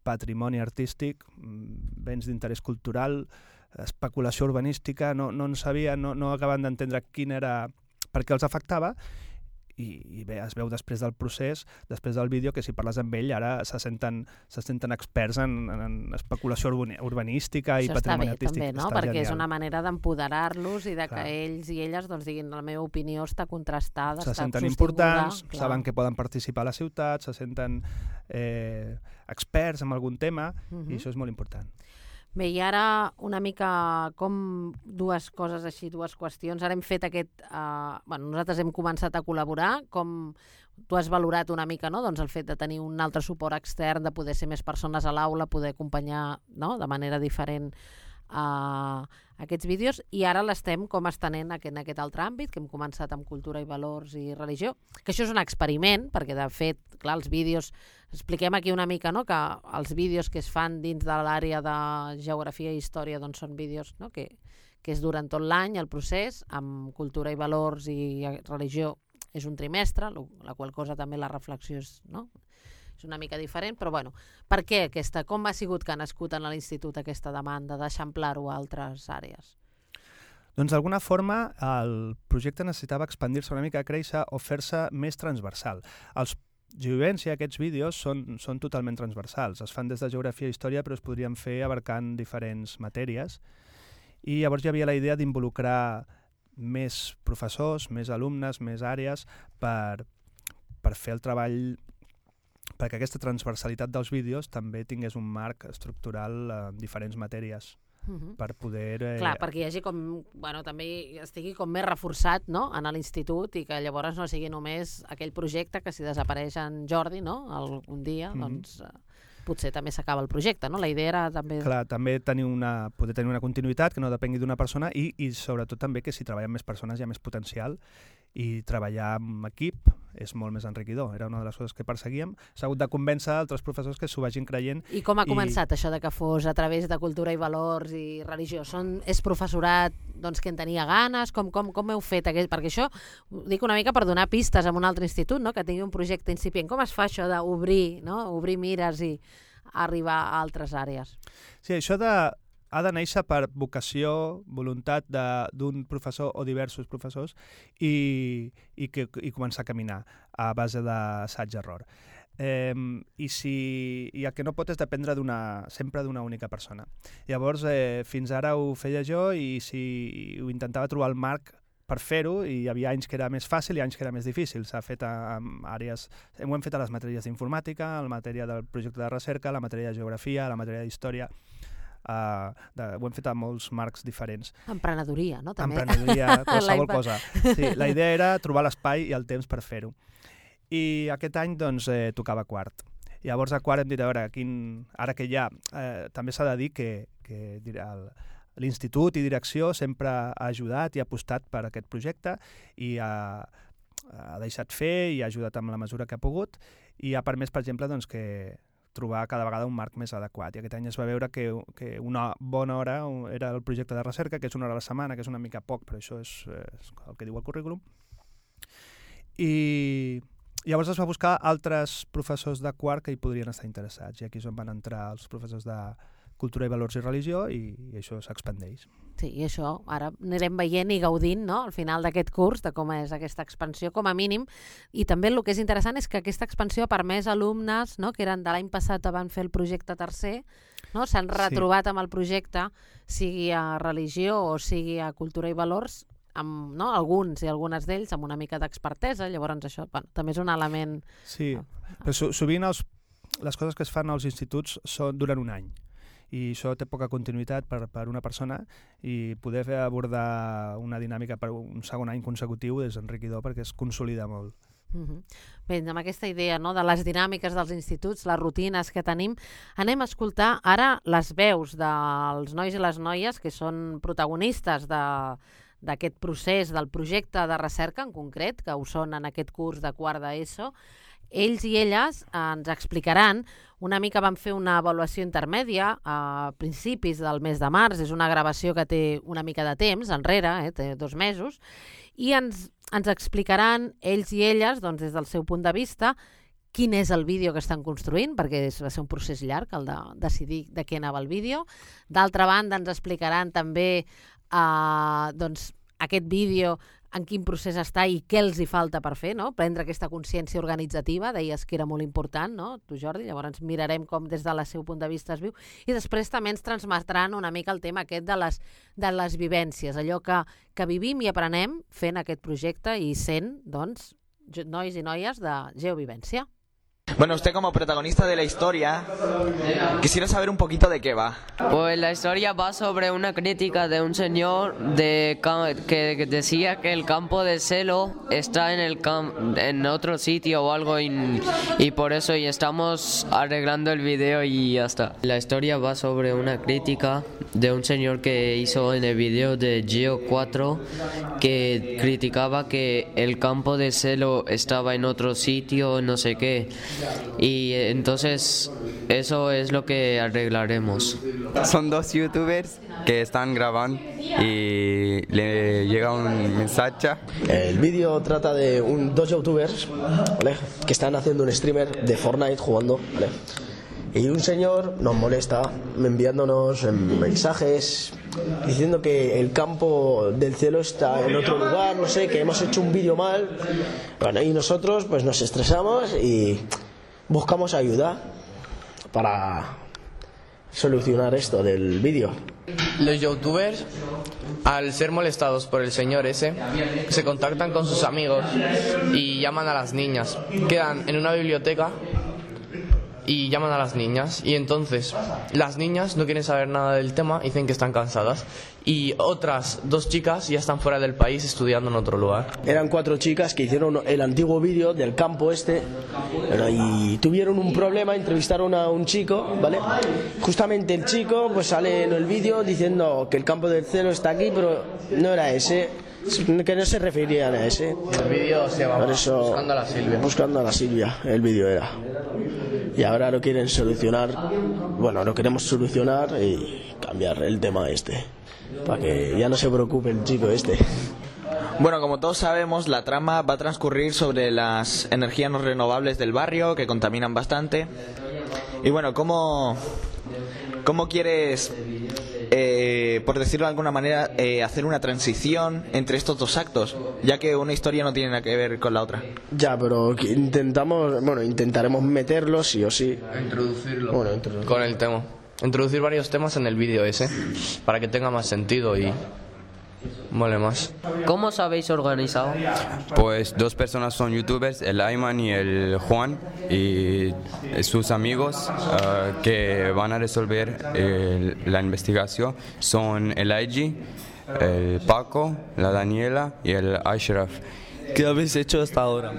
Speaker 15: patrimoni artístic, béns d'interès cultural, especulació urbanística, no en sabien, no acaben d'entendre quin era, per què els afectava, i bé, es veu després del procés, després del vídeo, que si parles amb ell ara se senten experts en especulació urbanística i patrimoni artístic.
Speaker 7: Això està bé també, no? Perquè és una manera d'empoderar-los i de que ells i elles doncs, diguin la meva opinió està contrastada,
Speaker 15: se senten importants, saben que poden participar a la ciutat, se senten experts en algun tema, i això és molt important.
Speaker 7: Bé, i ara una mica com dues coses així, dues qüestions. Ara hem fet nosaltres hem començat a col·laborar, com tu has valorat una mica, no?, doncs el fet de tenir un altre suport extern, de poder ser més persones a l'aula, poder acompanyar, no?, de manera diferent aquests vídeos, i ara l'estem com estenent en aquest altre àmbit, que hem començat amb cultura i valors i religió, que això és un experiment, perquè de fet, clar, els vídeos, expliquem aquí una mica, no?, que els vídeos que es fan dins de l'àrea de geografia i història doncs són vídeos, no?, que és durant tot l'any el procés, amb cultura i valors i religió és un trimestre, la qual cosa també la reflexió és, no?, és una mica diferent, però bueno, per què com ha sigut que ha nascut en l'institut aquesta demanda d'eixamplar-ho a altres àrees?
Speaker 15: Doncs d'alguna forma el projecte necessitava expandir-se una mica, créixer o fer-se més transversal. Els Geovivència, aquests vídeos, són totalment transversals. Es fan des de geografia i història, però es podrien fer abarcant diferents matèries. I llavors hi havia la idea d'involucrar més professors, més alumnes, més àrees per fer el treball perquè aquesta transversalitat dels vídeos també tingués un marc estructural en diferents matèries per poder...
Speaker 7: Clar, perquè hi hagi com, bueno, també estigui com més reforçat, no?, en l'institut i que llavors no sigui només aquell projecte que si desapareix en Jordi, no?, algun dia, doncs potser també s'acaba el projecte, no? La idea era també...
Speaker 15: Clar, també poder tenir una continuïtat que no depengui d'una persona i sobretot també que si treballen més persones hi ha més potencial i treballar en equip és molt més enriquidor. Era una de les coses que perseguíem. S'ha hagut de convèncer altres professors que s'ho vagin creient.
Speaker 7: I com ha començat això de que fos a través de cultura i valors i religió? És professorat doncs, que en tenia ganes? Com heu fet? Perquè això ho dic una mica per donar pistes a un altre institut, no?, que tingui un projecte incipient. Com es fa això d'obrir, no?, obrir mires i arribar a altres àrees?
Speaker 15: Sí, això ha de néixer per vocació, voluntat d'un professor o diversos professors i començar a caminar a base d'assaig-error. I el que no pot és dependre sempre d'una única persona. Llavors, fins ara ho feia jo i ho intentava trobar el marc per fer-ho, i hi havia anys que era més fàcil i anys que era més difícil. S'ha fet en àrees... Ho hem fet a les matèries d'informàtica, a la matèria del projecte de recerca, a la matèria de geografia, a la matèria d'història... ho hem fet a molts marcs diferents.
Speaker 7: Emprenedoria, no? També.
Speaker 15: Emprenedoria, qualsevol cosa. Sí, la idea era trobar l'espai i el temps per fer-ho. I aquest any doncs, tocava quart. Llavors a quart hem dit, a veure, ara que ja també s'ha de dir que l'institut i direcció sempre ha ajudat i ha apostat per aquest projecte i ha deixat fer i ha ajudat amb la mesura que ha pogut i ha permès, per exemple, doncs, que trobar cada vegada un marc més adequat. I aquest any es va veure que una bona hora era el projecte de recerca, que és una hora a la setmana, que és una mica poc, però això és el que diu el currículum. I llavors es va buscar altres professors de quart que hi podrien estar interessats, i aquí és on van entrar els professors de cultura i valors i religió, i això s'expandeix.
Speaker 7: Sí, i això ara anirem veient i gaudint, no?, al final d'aquest curs, de com és aquesta expansió, com a mínim, i també el que és interessant és que aquesta expansió ha permès alumnes, no?, que eren de l'any passat van fer el projecte tercer, no?, s'han retrobat amb el projecte, sigui a religió o sigui a cultura i valors, amb, no?, alguns i algunes d'ells amb una mica d'expertesa, llavors això també és un element...
Speaker 15: Sí, però sovint les coses que es fan als instituts duren un any, i això té poca continuïtat per una persona, i poder abordar una dinàmica per un segon any consecutiu és enriquidor perquè es consolida molt.
Speaker 7: Bé, amb aquesta idea, no?, de les dinàmiques dels instituts, les rutines que tenim, anem a escoltar ara les veus dels nois i les noies que són protagonistes d'aquest procés, del projecte de recerca en concret, que ho són en aquest curs de quart d'ESO. Ells i elles ens explicaran, una mica van fer una avaluació intermèdia a principis del mes de març, és una gravació que té una mica de temps enrere, té 2 mesos, i ens explicaran ells i elles, doncs, des del seu punt de vista, quin és el vídeo que estan construint, perquè va ser un procés llarg el de decidir de què anava el vídeo. D'altra banda, ens explicaran també doncs, aquest vídeo en quin procés està i què els hi falta per fer, no? Prendre aquesta consciència organitzativa, deies que era molt important, no? Tu, Jordi, llavors mirarem com des del seu punt de vista es viu, i després també ens transmetran una mica el tema aquest de les vivències, allò que vivim i aprenem fent aquest projecte i sent, doncs, nois i noies de Geovivència.
Speaker 1: Bueno, usted como protagonista de la historia, quisiera saber un poquito de qué va.
Speaker 22: Pues la historia va sobre una crítica de un señor que decía que el campo de Selo está en otro sitio o algo y por eso estamos arreglando el video y ya está. La historia va sobre una crítica de un señor que hizo en el video de Geo 4 que criticaba que el campo de Selo estaba en otro sitio, no sé qué. Y entonces eso es lo que arreglaremos.
Speaker 6: Son 2 youtubers que están grabando y le llega un mensaje.
Speaker 9: El vídeo trata de 2 youtubers, ¿vale?, que están haciendo un streamer de Fortnite jugando, ¿vale?, y un señor nos molesta enviándonos mensajes diciendo que el campo del cielo está en otro lugar, no sé, que hemos hecho un vídeo mal. Bueno, y nosotros pues nos estresamos y buscamos ayuda para solucionar esto del vídeo.
Speaker 24: Los youtubers, al ser molestados por el señor ese, se contactan con sus amigos y llaman a las niñas. Quedan en una biblioteca y llaman a las niñas y entonces las niñas no quieren saber nada del tema, dicen que están cansadas y otras 2 chicas ya están fuera del país estudiando en otro lugar.
Speaker 9: Eran 4 chicas que hicieron el antiguo vídeo del campo y tuvieron un problema, entrevistaron a un chico, ¿vale? Justamente el chico pues sale en el vídeo diciendo que el campo del Celo está aquí, pero no era ese, que no se referían a ese.
Speaker 24: El vídeo se llama Buscando a la Silvia.
Speaker 9: Buscando a la Silvia, el vídeo era. Y ahora lo quieren solucionar, bueno, lo queremos solucionar y cambiar el tema para que ya no se preocupe el chico
Speaker 1: Bueno, como todos sabemos, la trama va a transcurrir sobre las energías no renovables del barrio, que contaminan bastante. Y bueno, ¿cómo quieres, por decirlo de alguna manera, hacer una transición entre estos 2 actos? Ya que una historia no tiene nada que ver con la otra.
Speaker 9: Ya, pero intentaremos meterlo sí o sí.
Speaker 24: Introducirlo con el tema. Introducir varios temas en el vídeo para que tenga más sentido y mole más.
Speaker 22: ¿Cómo os habéis organizado?
Speaker 6: Pues 2 personas son youtubers, el Ayman y el Juan, y sus amigos que van a resolver la investigación son el IG, el Paco, la Daniela y el Ashraf.
Speaker 10: ¿Qué habéis hecho hasta ahora?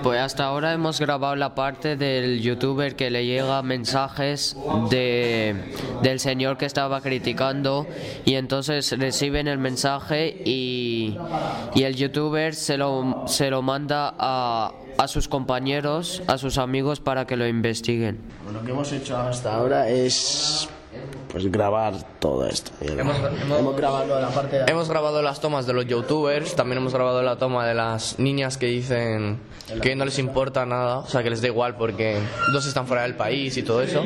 Speaker 22: Pues hasta ahora hemos grabado la parte del youtuber que le llega mensajes del señor que estaba criticando y entonces reciben el mensaje y el youtuber se lo manda a sus compañeros, a sus amigos para que lo investiguen.
Speaker 9: Lo que hemos hecho hasta ahora es grabar todo esto.
Speaker 24: Hemos grabado las tomas de los youtubers, también hemos grabado la toma de las niñas que dicen que no les importa nada, o sea que les da igual porque 2 están fuera del país y todo eso.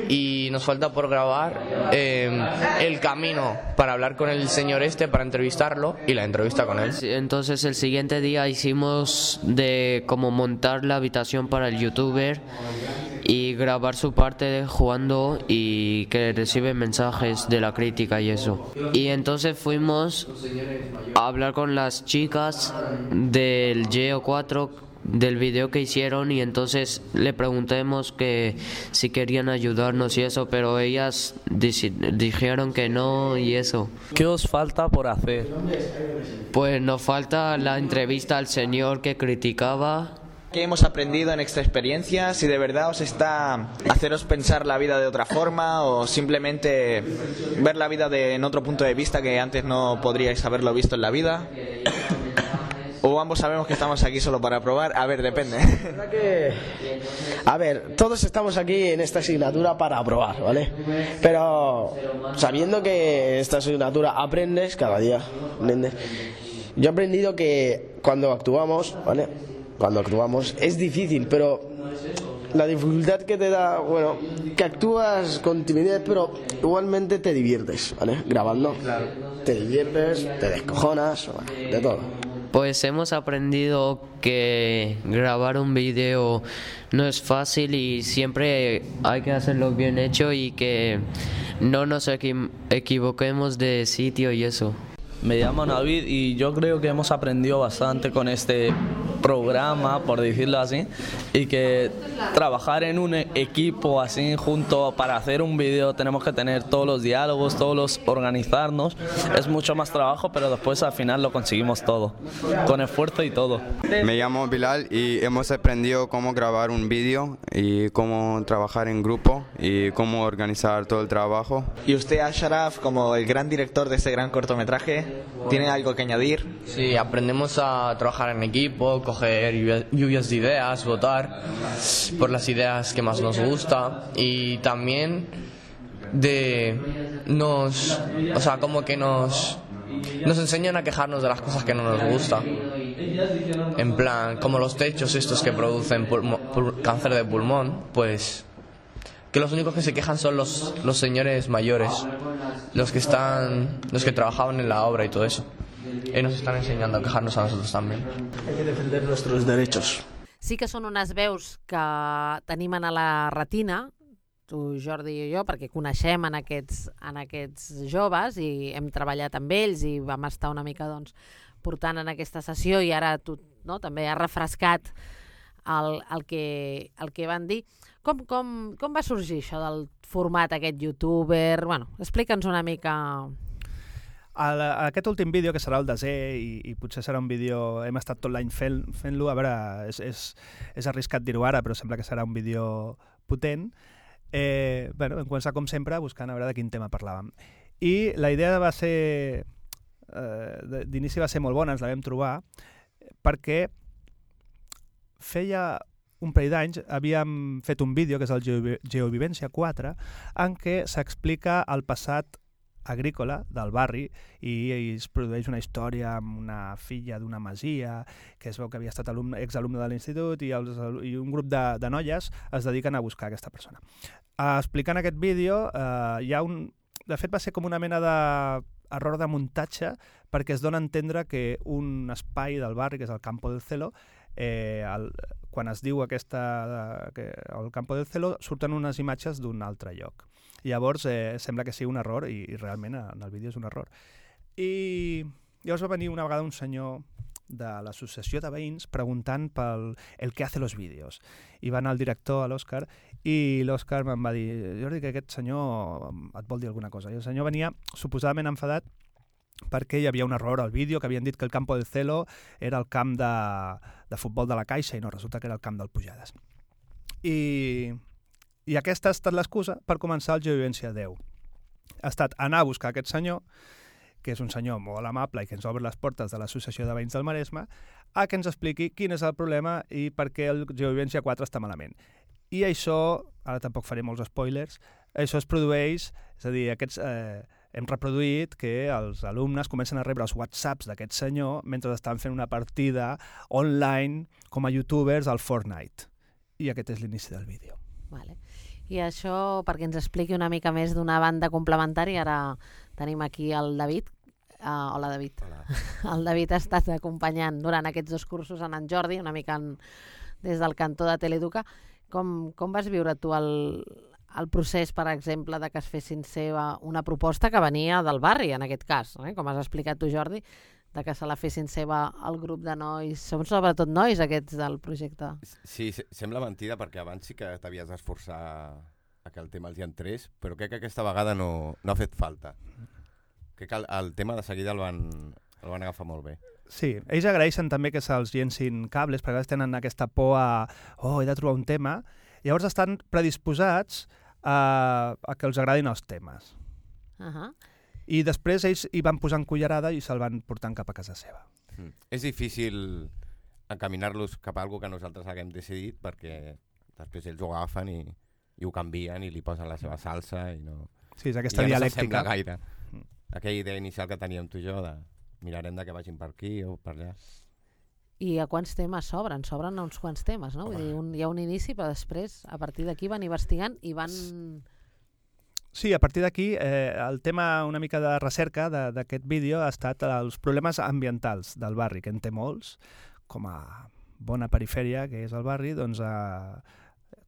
Speaker 24: Y nos falta por grabar el camino para hablar con el señor para entrevistarlo y la entrevista con él.
Speaker 22: Entonces el siguiente día hicimos de como montar la habitación para el youtuber y grabar su parte jugando y que recibe mensajes de la crítica y eso. Y entonces fuimos a hablar con las chicas del Geo 4 del video que hicieron y entonces le preguntamos que si querían ayudarnos y eso, pero ellas dijeron que no y eso.
Speaker 10: ¿Qué os falta por hacer?
Speaker 22: Pues nos falta la entrevista al señor que criticaba.
Speaker 1: ¿Qué hemos aprendido en esta experiencia? Si de verdad os está haceros pensar la vida de otra forma o simplemente ver la vida en otro punto de vista que antes no podríais haberlo visto en la vida. O ambos sabemos que estamos aquí solo para probar. A ver, depende.
Speaker 9: A ver, todos estamos aquí en esta asignatura para probar, ¿vale? Pero sabiendo que esta asignatura aprendes cada día. Yo he aprendido que cuando actuamos, ¿vale? Cuando actuamos es difícil, pero la dificultad que te da, que actúas con timidez, pero igualmente te diviertes, ¿vale? Grabando. Claro. Te diviertes, te descojonas, de todo.
Speaker 22: Pues hemos aprendido que grabar un vídeo no es fácil y siempre hay que hacerlo bien hecho y que no nos equivoquemos de sitio y eso.
Speaker 10: Me llamo Navid y yo creo que hemos aprendido bastante con este programa, por decirlo así, y que trabajar en un equipo así junto para hacer un vídeo tenemos que tener todos los diálogos, organizarnos, es mucho más trabajo, pero después al final lo conseguimos todo, con esfuerzo y todo.
Speaker 6: Me llamo Bilal y hemos aprendido cómo grabar un vídeo y cómo trabajar en grupo y cómo organizar todo el trabajo.
Speaker 1: Y usted, Ashraf, como el gran director de este gran cortometraje, ¿tiene algo que añadir?
Speaker 24: Sí, aprendemos a trabajar en equipo, coger lluvias de ideas, votar por las ideas que más nos gusta y también nos enseñan a quejarnos de las cosas que no nos gustan. En plan, como los techos estos que producen cáncer de pulmón, pues que los únicos que se quejan son los señores mayores, los que trabajaban en la obra y todo eso. Y nos están ensenyant a quejar-nos a nosaltres també.
Speaker 9: Hay que defender nuestros derechos.
Speaker 7: Sí que són unes veus que tenim a la retina, tu, Jordi i jo, perquè coneixem en aquests joves i hem treballat amb ells i vam estar una mica portant en aquesta sessió i ara tu també has refrescat el que van dir. Com va sorgir això del format aquest youtuber? Bueno, explica'ns una mica...
Speaker 15: Aquest últim vídeo, que serà el desè, i potser serà un vídeo... Hem estat tot l'any fent-lo, a veure, és arriscat dir-ho ara, però sembla que serà un vídeo potent. Vam començar, com sempre, buscant a veure de quin tema parlàvem. I la idea va ser... d'inici va ser molt bona, ens la vam trobar, perquè feia un parell d'anys havíem fet un vídeo, que és el Geovivència 4, en què s'explica el passat agrícola del barri i es produeix una història amb una filla d'una masia que es veu que havia estat exalumne de l'institut i un grup de noies es dediquen a buscar aquesta persona. Explicant aquest vídeo, hi ha un... De fet, va ser com una mena d'error de muntatge perquè es dona a entendre que un espai del barri, que és el Campo del Celo, quan es diu el Campo del Celo, surten unes imatges d'un altre lloc. Llavors sembla que sigui un error i realment en el vídeo és un error. I llavors va venir una vegada un senyor de l'associació de veïns preguntant pel el que hace los vídeos. I va anar el director, a l'Òscar, i l'Òscar me'n va dir: Jordi, que aquest senyor et vol dir alguna cosa. I el senyor venia suposadament enfadat perquè hi havia un error al vídeo, que havien dit que el Campo del Celo era el camp de futbol de la Caixa i no, resulta que era el camp del Pujades. I aquesta ha estat l'excusa per començar el Geovivència 10. Ha estat anar a buscar aquest senyor, que és un senyor molt amable i que ens obre les portes de l'Associació de Veïns del Maresme, a que ens expliqui quin és el problema i per què el Geovivència 4 està malament. I això, ara tampoc faré molts spoilers, això es produeix, és a dir, hem reproduït que els alumnes comencen a rebre els whatsapps d'aquest senyor mentre estan fent una partida online com a youtubers al Fortnite. I aquest és l'inici del vídeo.
Speaker 7: Vale. I això, perquè ens expliqui una mica més d'una banda complementària, ara tenim aquí el David. Hola, David. Hola. El David ha estat acompanyant durant aquests 2 cursos en Jordi, una mica des del cantó de Teleeduca. Com vas viure tu el procés, per exemple, de que es fessin seva una proposta que venia del barri, en aquest cas, com has explicat tu, Jordi, de que se la fessin seva el grup de nois, són sobretot nois aquests del projecte.
Speaker 11: Sí, sembla mentida perquè abans sí que t'havies d'esforçar a que el tema els hi entrés, però crec que aquesta vegada no ha fet falta. Crec que el tema de seguida el van agafar molt bé.
Speaker 15: Sí, ells agraeixen també que se'ls llencin cables, perquè a vegades tenen aquesta por a he de trobar un tema, llavors estan predisposats a que els agradin els temes. I després ells hi van posant cullerada i se'l van portant cap a casa seva.
Speaker 11: És difícil encaminar-los cap a alguna que nosaltres haguem decidit perquè després ells ho agafen i ho canvien i li posen la seva salsa i no...
Speaker 15: Sí, és aquesta dialèctica.
Speaker 11: I ja no s'assembla gaire. Aquella idea inicial que teníem tu i jo de mirarem de que vagin per aquí o per allà.
Speaker 7: I a quants temes s'obren? S'obren uns quants temes, no? Vull dir, hi ha un inici, però després, a partir d'aquí van investigant i van...
Speaker 15: Sí, a partir d'aquí, el tema una mica de recerca d'aquest vídeo ha estat els problemes ambientals del barri, que en té molts, com a bona perifèria que és el barri, doncs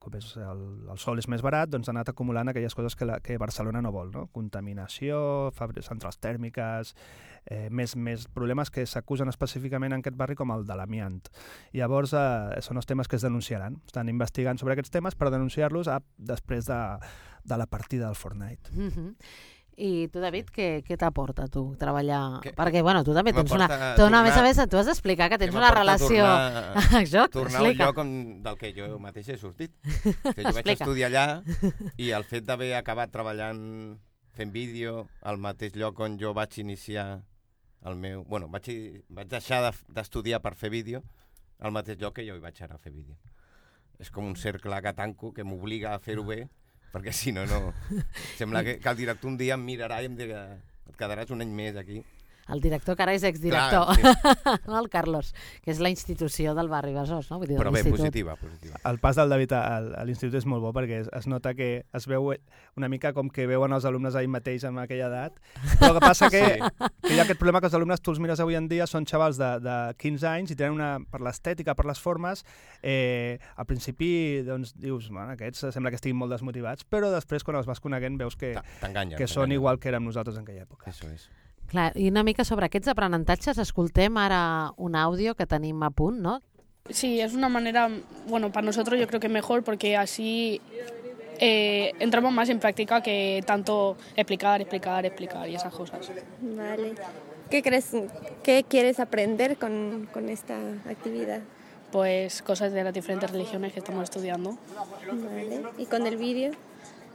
Speaker 15: com és el sol és més barat, doncs ha anat acumulant aquelles coses que Barcelona no vol, no? Contaminació, centrals tèrmiques, més problemes que s'acusen específicament en aquest barri com el de l'amiant. Llavors són els temes que es denunciaran. Estan investigant sobre aquests temes per denunciar-los després de la partida del Fortnite.
Speaker 7: I tu, David, què t'aporta tu treballar? Perquè, bueno, tu també tens a més a més, tu has d'explicar que tens una relació...
Speaker 11: Tornar a un lloc del que jo mateix he sortit. Que jo vaig estudiar allà i el fet d'haver acabat treballant fent vídeo al mateix lloc on jo vaig iniciar el meu... Bueno, vaig deixar d'estudiar per fer vídeo al mateix lloc que jo hi vaig anar a fer vídeo. És com un cercle que tanco que m'obliga a fer-ho bé, perquè si no, sembla que el director un dia em mirarà i em dirà et quedaràs un any més aquí.
Speaker 7: El director que ara és exdirector, no, el Carlos, que és la institució del barri Besòs, no? Vull dir,
Speaker 11: però bé, positiva.
Speaker 15: El pas del David a l'institut és molt bo perquè es nota que es veu una mica com que veuen els alumnes ahir mateix amb aquella edat, però el que passa que hi ha aquest problema que els alumnes tu els mires avui en dia, són xavals de 15 anys i tenen per l'estètica, per les formes, al principi doncs, dius, aquests sembla que estiguin molt desmotivats, però després quan els vas coneguent veus que són igual que érem nosaltres en aquella època.
Speaker 11: Això és.
Speaker 7: Clar, i una mica sobre aquests aprenentatges, escoltem ara un àudio que tenim a punt, no?
Speaker 8: Sí, es una manera, bueno, para nosotros yo creo que mejor porque así entramos más en práctica que tanto explicar y esas cosas.
Speaker 12: Vale. ¿Qué crees, qué quieres aprender con esta actividad?
Speaker 8: Pues cosas de las diferentes religiones que estamos estudiando.
Speaker 12: Vale. ¿Y con el vídeo?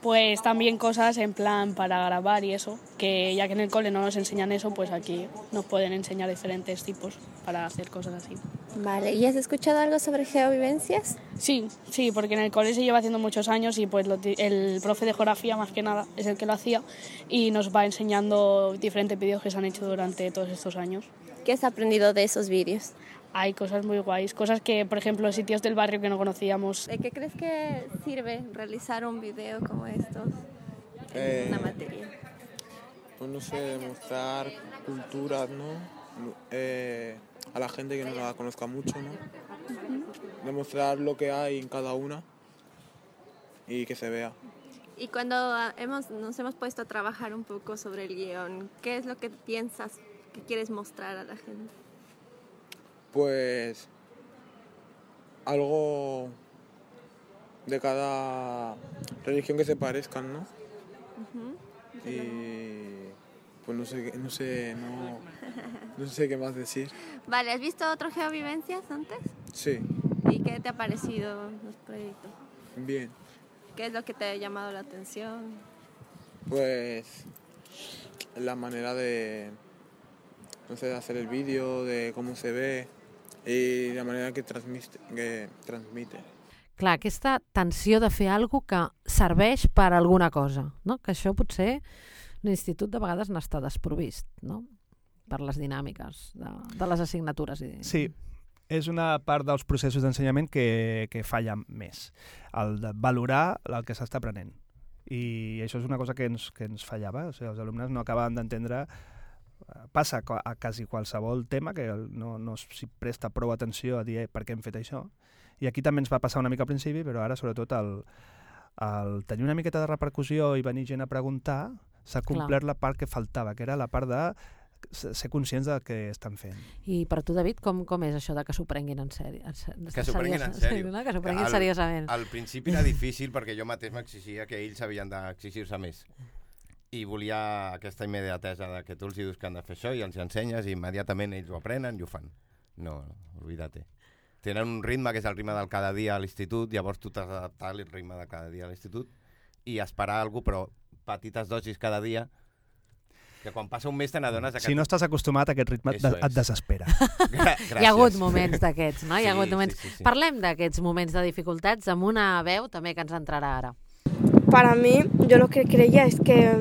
Speaker 8: Pues también cosas en plan para grabar y eso, que ya que en el cole no nos enseñan eso, pues aquí nos pueden enseñar diferentes tipos para hacer cosas así.
Speaker 12: Vale, ¿y has escuchado algo sobre geovivencias?
Speaker 8: Sí, porque en el cole se lleva haciendo muchos años y pues el profe de geografía más que nada es el que lo hacía y nos va enseñando diferentes vídeos que se han hecho durante todos estos años.
Speaker 12: ¿Qué has aprendido de esos vídeos?
Speaker 8: Hay cosas muy guays, cosas que, por ejemplo, sitios del barrio que no conocíamos.
Speaker 12: ¿De qué crees que sirve realizar un video como estos en una materia?
Speaker 13: Pues no sé, demostrar culturas, ¿no? A la gente que no la conozca mucho, ¿no? Demostrar lo que hay en cada una y que se vea.
Speaker 12: Y cuando nos hemos puesto a trabajar un poco sobre el guión, ¿qué es lo que piensas que quieres mostrar a la gente?
Speaker 13: Pues algo de cada religión que se parezcan, ¿no? Y pues no sé qué más decir.
Speaker 12: Vale, ¿has visto otro geovivencias antes?
Speaker 13: Sí.
Speaker 12: ¿Y qué te ha parecido los proyectos?
Speaker 13: Bien.
Speaker 12: ¿Qué es lo que te ha llamado la atención?
Speaker 13: Pues la manera de, no sé, de hacer el vídeo, de cómo se ve i la manera que transmite.
Speaker 7: Clar, aquesta tensió de fer alguna cosa que serveix per a alguna cosa, no? Que això potser l'institut de vegades n'està desprovist, no? Per les dinàmiques de les assignatures.
Speaker 15: Sí, és una part dels processos d'ensenyament que falla més, el de valorar el que s'està aprenent. I això és una cosa que ens fallava, o sigui, els alumnes no acabaven d'entendre. Passa a quasi qualsevol tema que no s'hi presta prou atenció a dir per què hem fet això. I aquí també ens va passar una mica al principi, però ara sobretot el tenir una miqueta de repercussió i venir gent a preguntar s'ha complert la part que faltava, que era la part de ser conscients del que estan fent.
Speaker 7: I per tu, David, com és això de que s'ho prenguin en sèrio?
Speaker 11: Que s'ho prenguin en sèrio.
Speaker 7: Que s'ho prenguin seriosament.
Speaker 11: Al principi era difícil perquè jo mateix m'exigia que ells havien d'exigir-se més. I volia aquesta immediatesa de que tu els dius que han de fer això i els ensenyes i immediatament ells ho aprenen i ho fan. No, olvídate. Tenen un ritme que és el ritme del cada dia a l'institut, llavors tu t'has d'adaptar al ritme de cada dia a l'institut i esperar alguna cosa, però petites dosis cada dia, que quan passa un mes te n'adones...
Speaker 15: Si no estàs acostumat a aquest ritme et desespera.
Speaker 7: Hi ha hagut moments d'aquests, no? Hi ha hagut moments. Parlem d'aquests moments de dificultats amb una veu també que ens entrarà ara.
Speaker 14: Para mí, yo lo que creía es que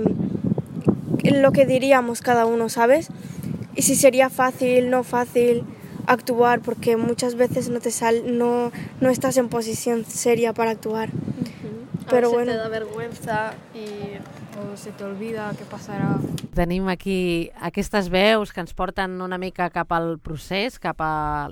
Speaker 14: lo que diríamos cada uno, ¿sabes? Y si sería fácil, no fácil actuar, porque muchas veces no estás en posición seria para actuar. Pero bueno.
Speaker 2: Se te da vergüenza o se te olvida què passarà.
Speaker 7: Tenim aquí aquestes veus que ens porten una mica cap al procés, cap a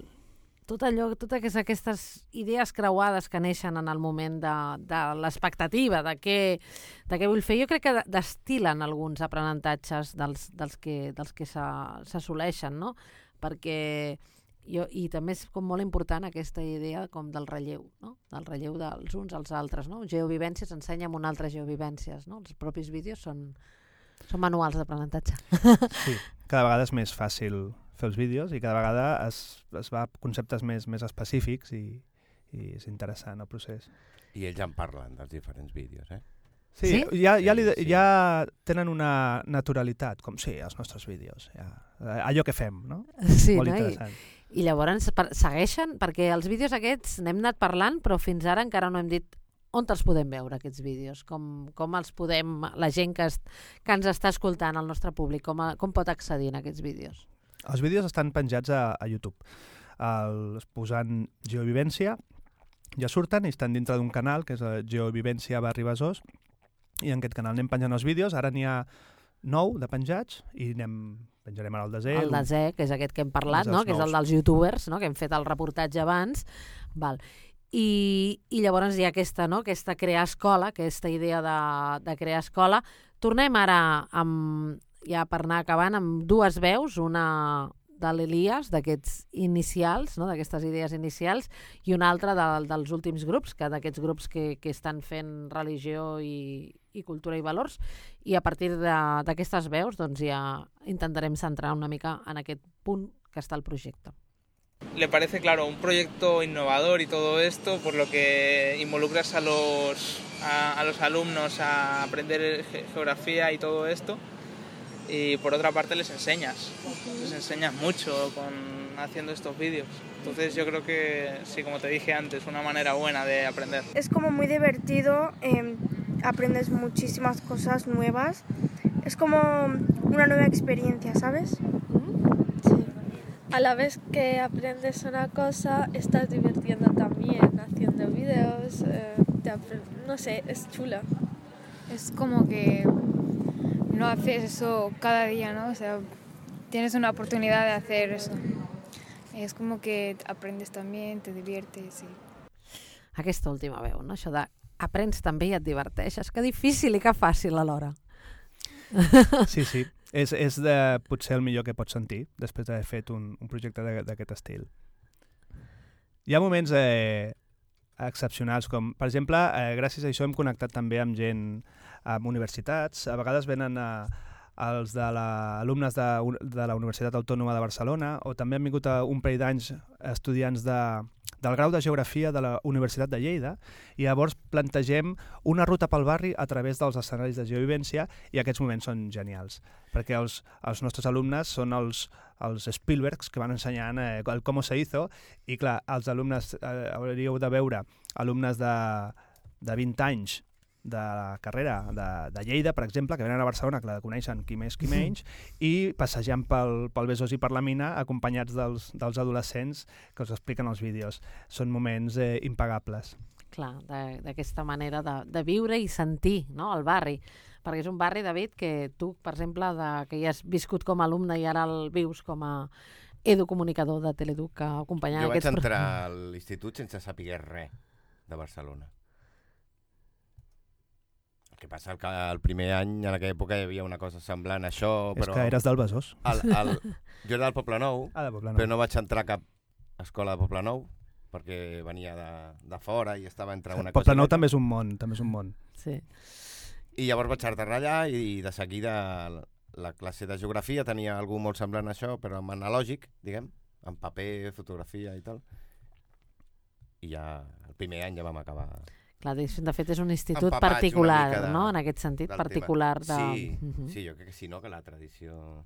Speaker 7: totes aquestes idees creuades que neixen en el moment de l'expectativa, de què vull fer. Jo crec que destil·len alguns aprenentatges dels que s'assoleixen, no? Perquè i també és com molt important aquesta idea com del relleu, no? Del relleu dels uns als altres, no? Geovivències ensenya amb una altra geovivències, no? Els propis vídeos són manuals d'aprenentatge.
Speaker 15: Sí, cada vegada és més fàcil fer els vídeos i cada vegada es va a conceptes més específics i és interessant el procés.
Speaker 11: I ells en parlen dels diferents vídeos, eh?
Speaker 15: Sí? Ja tenen una naturalitat, com sí, els nostres vídeos, allò que fem, no?
Speaker 7: Sí,
Speaker 15: molt
Speaker 7: no?
Speaker 15: interessant.
Speaker 7: I llavors segueixen, perquè els vídeos aquests n'hem anat parlant, però fins ara encara no hem dit on els podem veure, aquests vídeos, com els podem, la gent que ens està escoltant, el nostre públic, com pot accedir a aquests vídeos?
Speaker 15: Els vídeos estan penjats a YouTube. Posant Geovivència, ja surten i estan dintre d'un canal, que és Geovivència /Besòs, i en aquest canal anem penjant els vídeos. Ara n'hi ha 9 de penjats i penjarem ara el desè.
Speaker 7: El desè, que és aquest que hem parlat, no? Que és el dels youtubers, no? Que hem fet el reportatge abans. Val. I llavors hi ha aquesta crear escola, aquesta idea de crear escola. Tornem ara ja per anar acabant amb dues veus, una l'Elias, d'aquests inicials, no? D'aquestes idees inicials, i un altre dels últims grups, que d'aquests grups que estan fent religió i cultura i valors, i a partir d'aquestes veus doncs ja intentarem centrar una mica en aquest punt que està el projecte.
Speaker 3: Le parece, claro, un proyecto innovador y todo esto, por lo que involucras a los alumnos a aprender geografía y todo esto, y por otra parte les enseñas mucho haciendo estos vídeos. Entonces yo creo que, sí, como te dije antes, una manera buena de aprender.
Speaker 14: Es como muy divertido, aprendes muchísimas cosas nuevas, es como una nueva experiencia, ¿sabes?
Speaker 4: A la vez que aprendes una cosa, estás divirtiendo también haciendo videos, no sé, es chula.
Speaker 2: Es como que no haces eso cada día, ¿no? O sea, tienes una oportunidad de hacer eso. És com que aprendes també, te diviertes.
Speaker 7: Aquesta última veu, no? Això de aprens també i et diverteixes. Que difícil i que fàcil alhora.
Speaker 15: Sí. És potser el millor que pots sentir després d'haver fet un projecte d'aquest estil. Hi ha moments excepcionals, com per exemple, gràcies a això hem connectat també amb gent, amb universitats. A vegades venen els alumnes de la Universitat Autònoma de Barcelona, o també han vingut un parell d'anys estudiants del grau de Geografia de la Universitat de Lleida, i llavors plantegem una ruta pel barri a través dels escenaris de geovivència, i aquests moments són genials, perquè els nostres alumnes són els Spielbergs que van ensenyant el cómo se hizo, i clar, els alumnes, hauríeu de veure alumnes de 20 anys de la carrera de Lleida, per exemple, que venen a Barcelona, que la coneixen qui més qui menys, i passejant pel Besòs i per la mina, acompanyats dels adolescents que us expliquen els vídeos. Són moments impagables.
Speaker 7: Clar, d'aquesta manera de viure i sentir, no?, el barri. Perquè és un barri, David, que tu, per exemple, que ja has viscut com a alumne i ara el vius com a educomunicador de Teleduc, que acompanyava aquests...
Speaker 11: Jo vaig entrar a l'institut sense saber res de Barcelona. El que passa que el primer any, en aquella època, hi havia una cosa semblant a això, però...
Speaker 15: És que eres del Besòs.
Speaker 11: Jo era del Poblenou, però no vaig entrar a cap escola de Poblenou, perquè venia de fora i estava entre una cosa...
Speaker 15: Poblenou també és un món,
Speaker 7: Sí.
Speaker 11: I llavors vaig aterrar allà i de seguida la classe de geografia tenia algú molt semblant a això, però amb analògic, diguem, amb paper, fotografia i tal. I ja el primer any ja vam acabar...
Speaker 7: Clar, de fet és un institut particular, no?, en aquest sentit, particular.
Speaker 11: Sí, jo crec que sí, no?, que la tradició...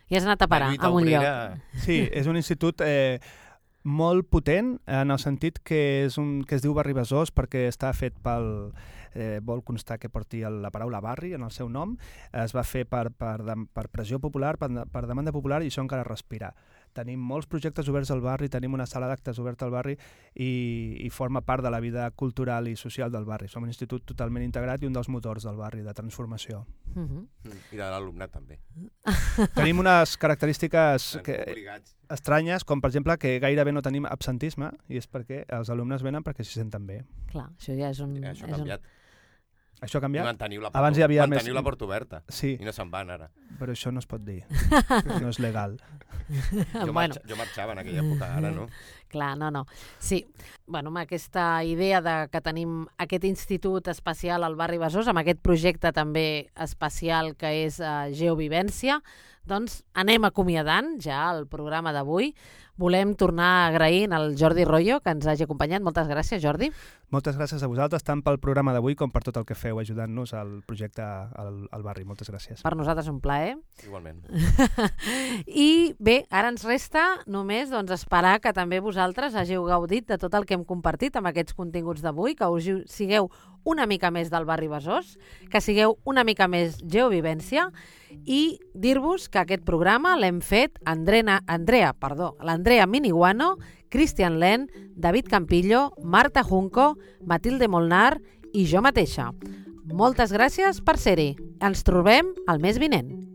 Speaker 7: I has anat a parar a un lloc.
Speaker 15: Sí, és un institut molt potent, en el sentit que es diu Barri Besòs perquè està fet pel... vol constar que porti la paraula barri en el seu nom. Es va fer per pressió popular, per demanda popular, i això encara respira. Tenim molts projectes oberts al barri, tenim una sala d'actes oberta al barri i forma part de la vida cultural i social del barri. Som un institut totalment integrat i un dels motors del barri de transformació.
Speaker 11: I de l'alumnat també.
Speaker 15: Tenim unes característiques estranyes, com per exemple que gairebé no tenim absentisme, i és perquè els alumnes venen perquè s'hi senten bé.
Speaker 7: Clar, això ja és un...
Speaker 11: Això ha canviat.
Speaker 15: Això ha canviat?
Speaker 11: Abans hi havia manteniu la porta oberta,
Speaker 15: sí.
Speaker 11: I no se'n van ara.
Speaker 15: Però això no es pot dir, no és legal.
Speaker 11: Jo marxava en aquella època, ara no.
Speaker 7: Clar, no. Sí, bueno, amb aquesta idea que tenim aquest institut especial al barri Besòs, amb aquest projecte també especial que és Geovivència, doncs anem acomiadant ja el programa d'avui. Volem tornar agraint al Jordi Royo, que ens hagi acompanyat. Moltes gràcies, Jordi.
Speaker 15: Moltes gràcies a vosaltres, tant pel programa d'avui com per tot el que feu ajudant-nos al projecte al barri. Moltes gràcies.
Speaker 7: Per nosaltres un plaer.
Speaker 11: Igualment.
Speaker 7: I bé, ara ens resta només esperar que també vosaltres hàgiu gaudit de tot el que hem compartit amb aquests continguts d'avui, que us sigueu una mica més del barri Besòs, que sigueu una mica més Geovivència, i dir-vos que aquest programa l'hem fet l'Andrea Miniguano, Cristian Len, David Campillo, Marta Junco, Matilde Molnar i jo mateixa. Moltes gràcies per ser-hi. Ens trobem el mes vinent.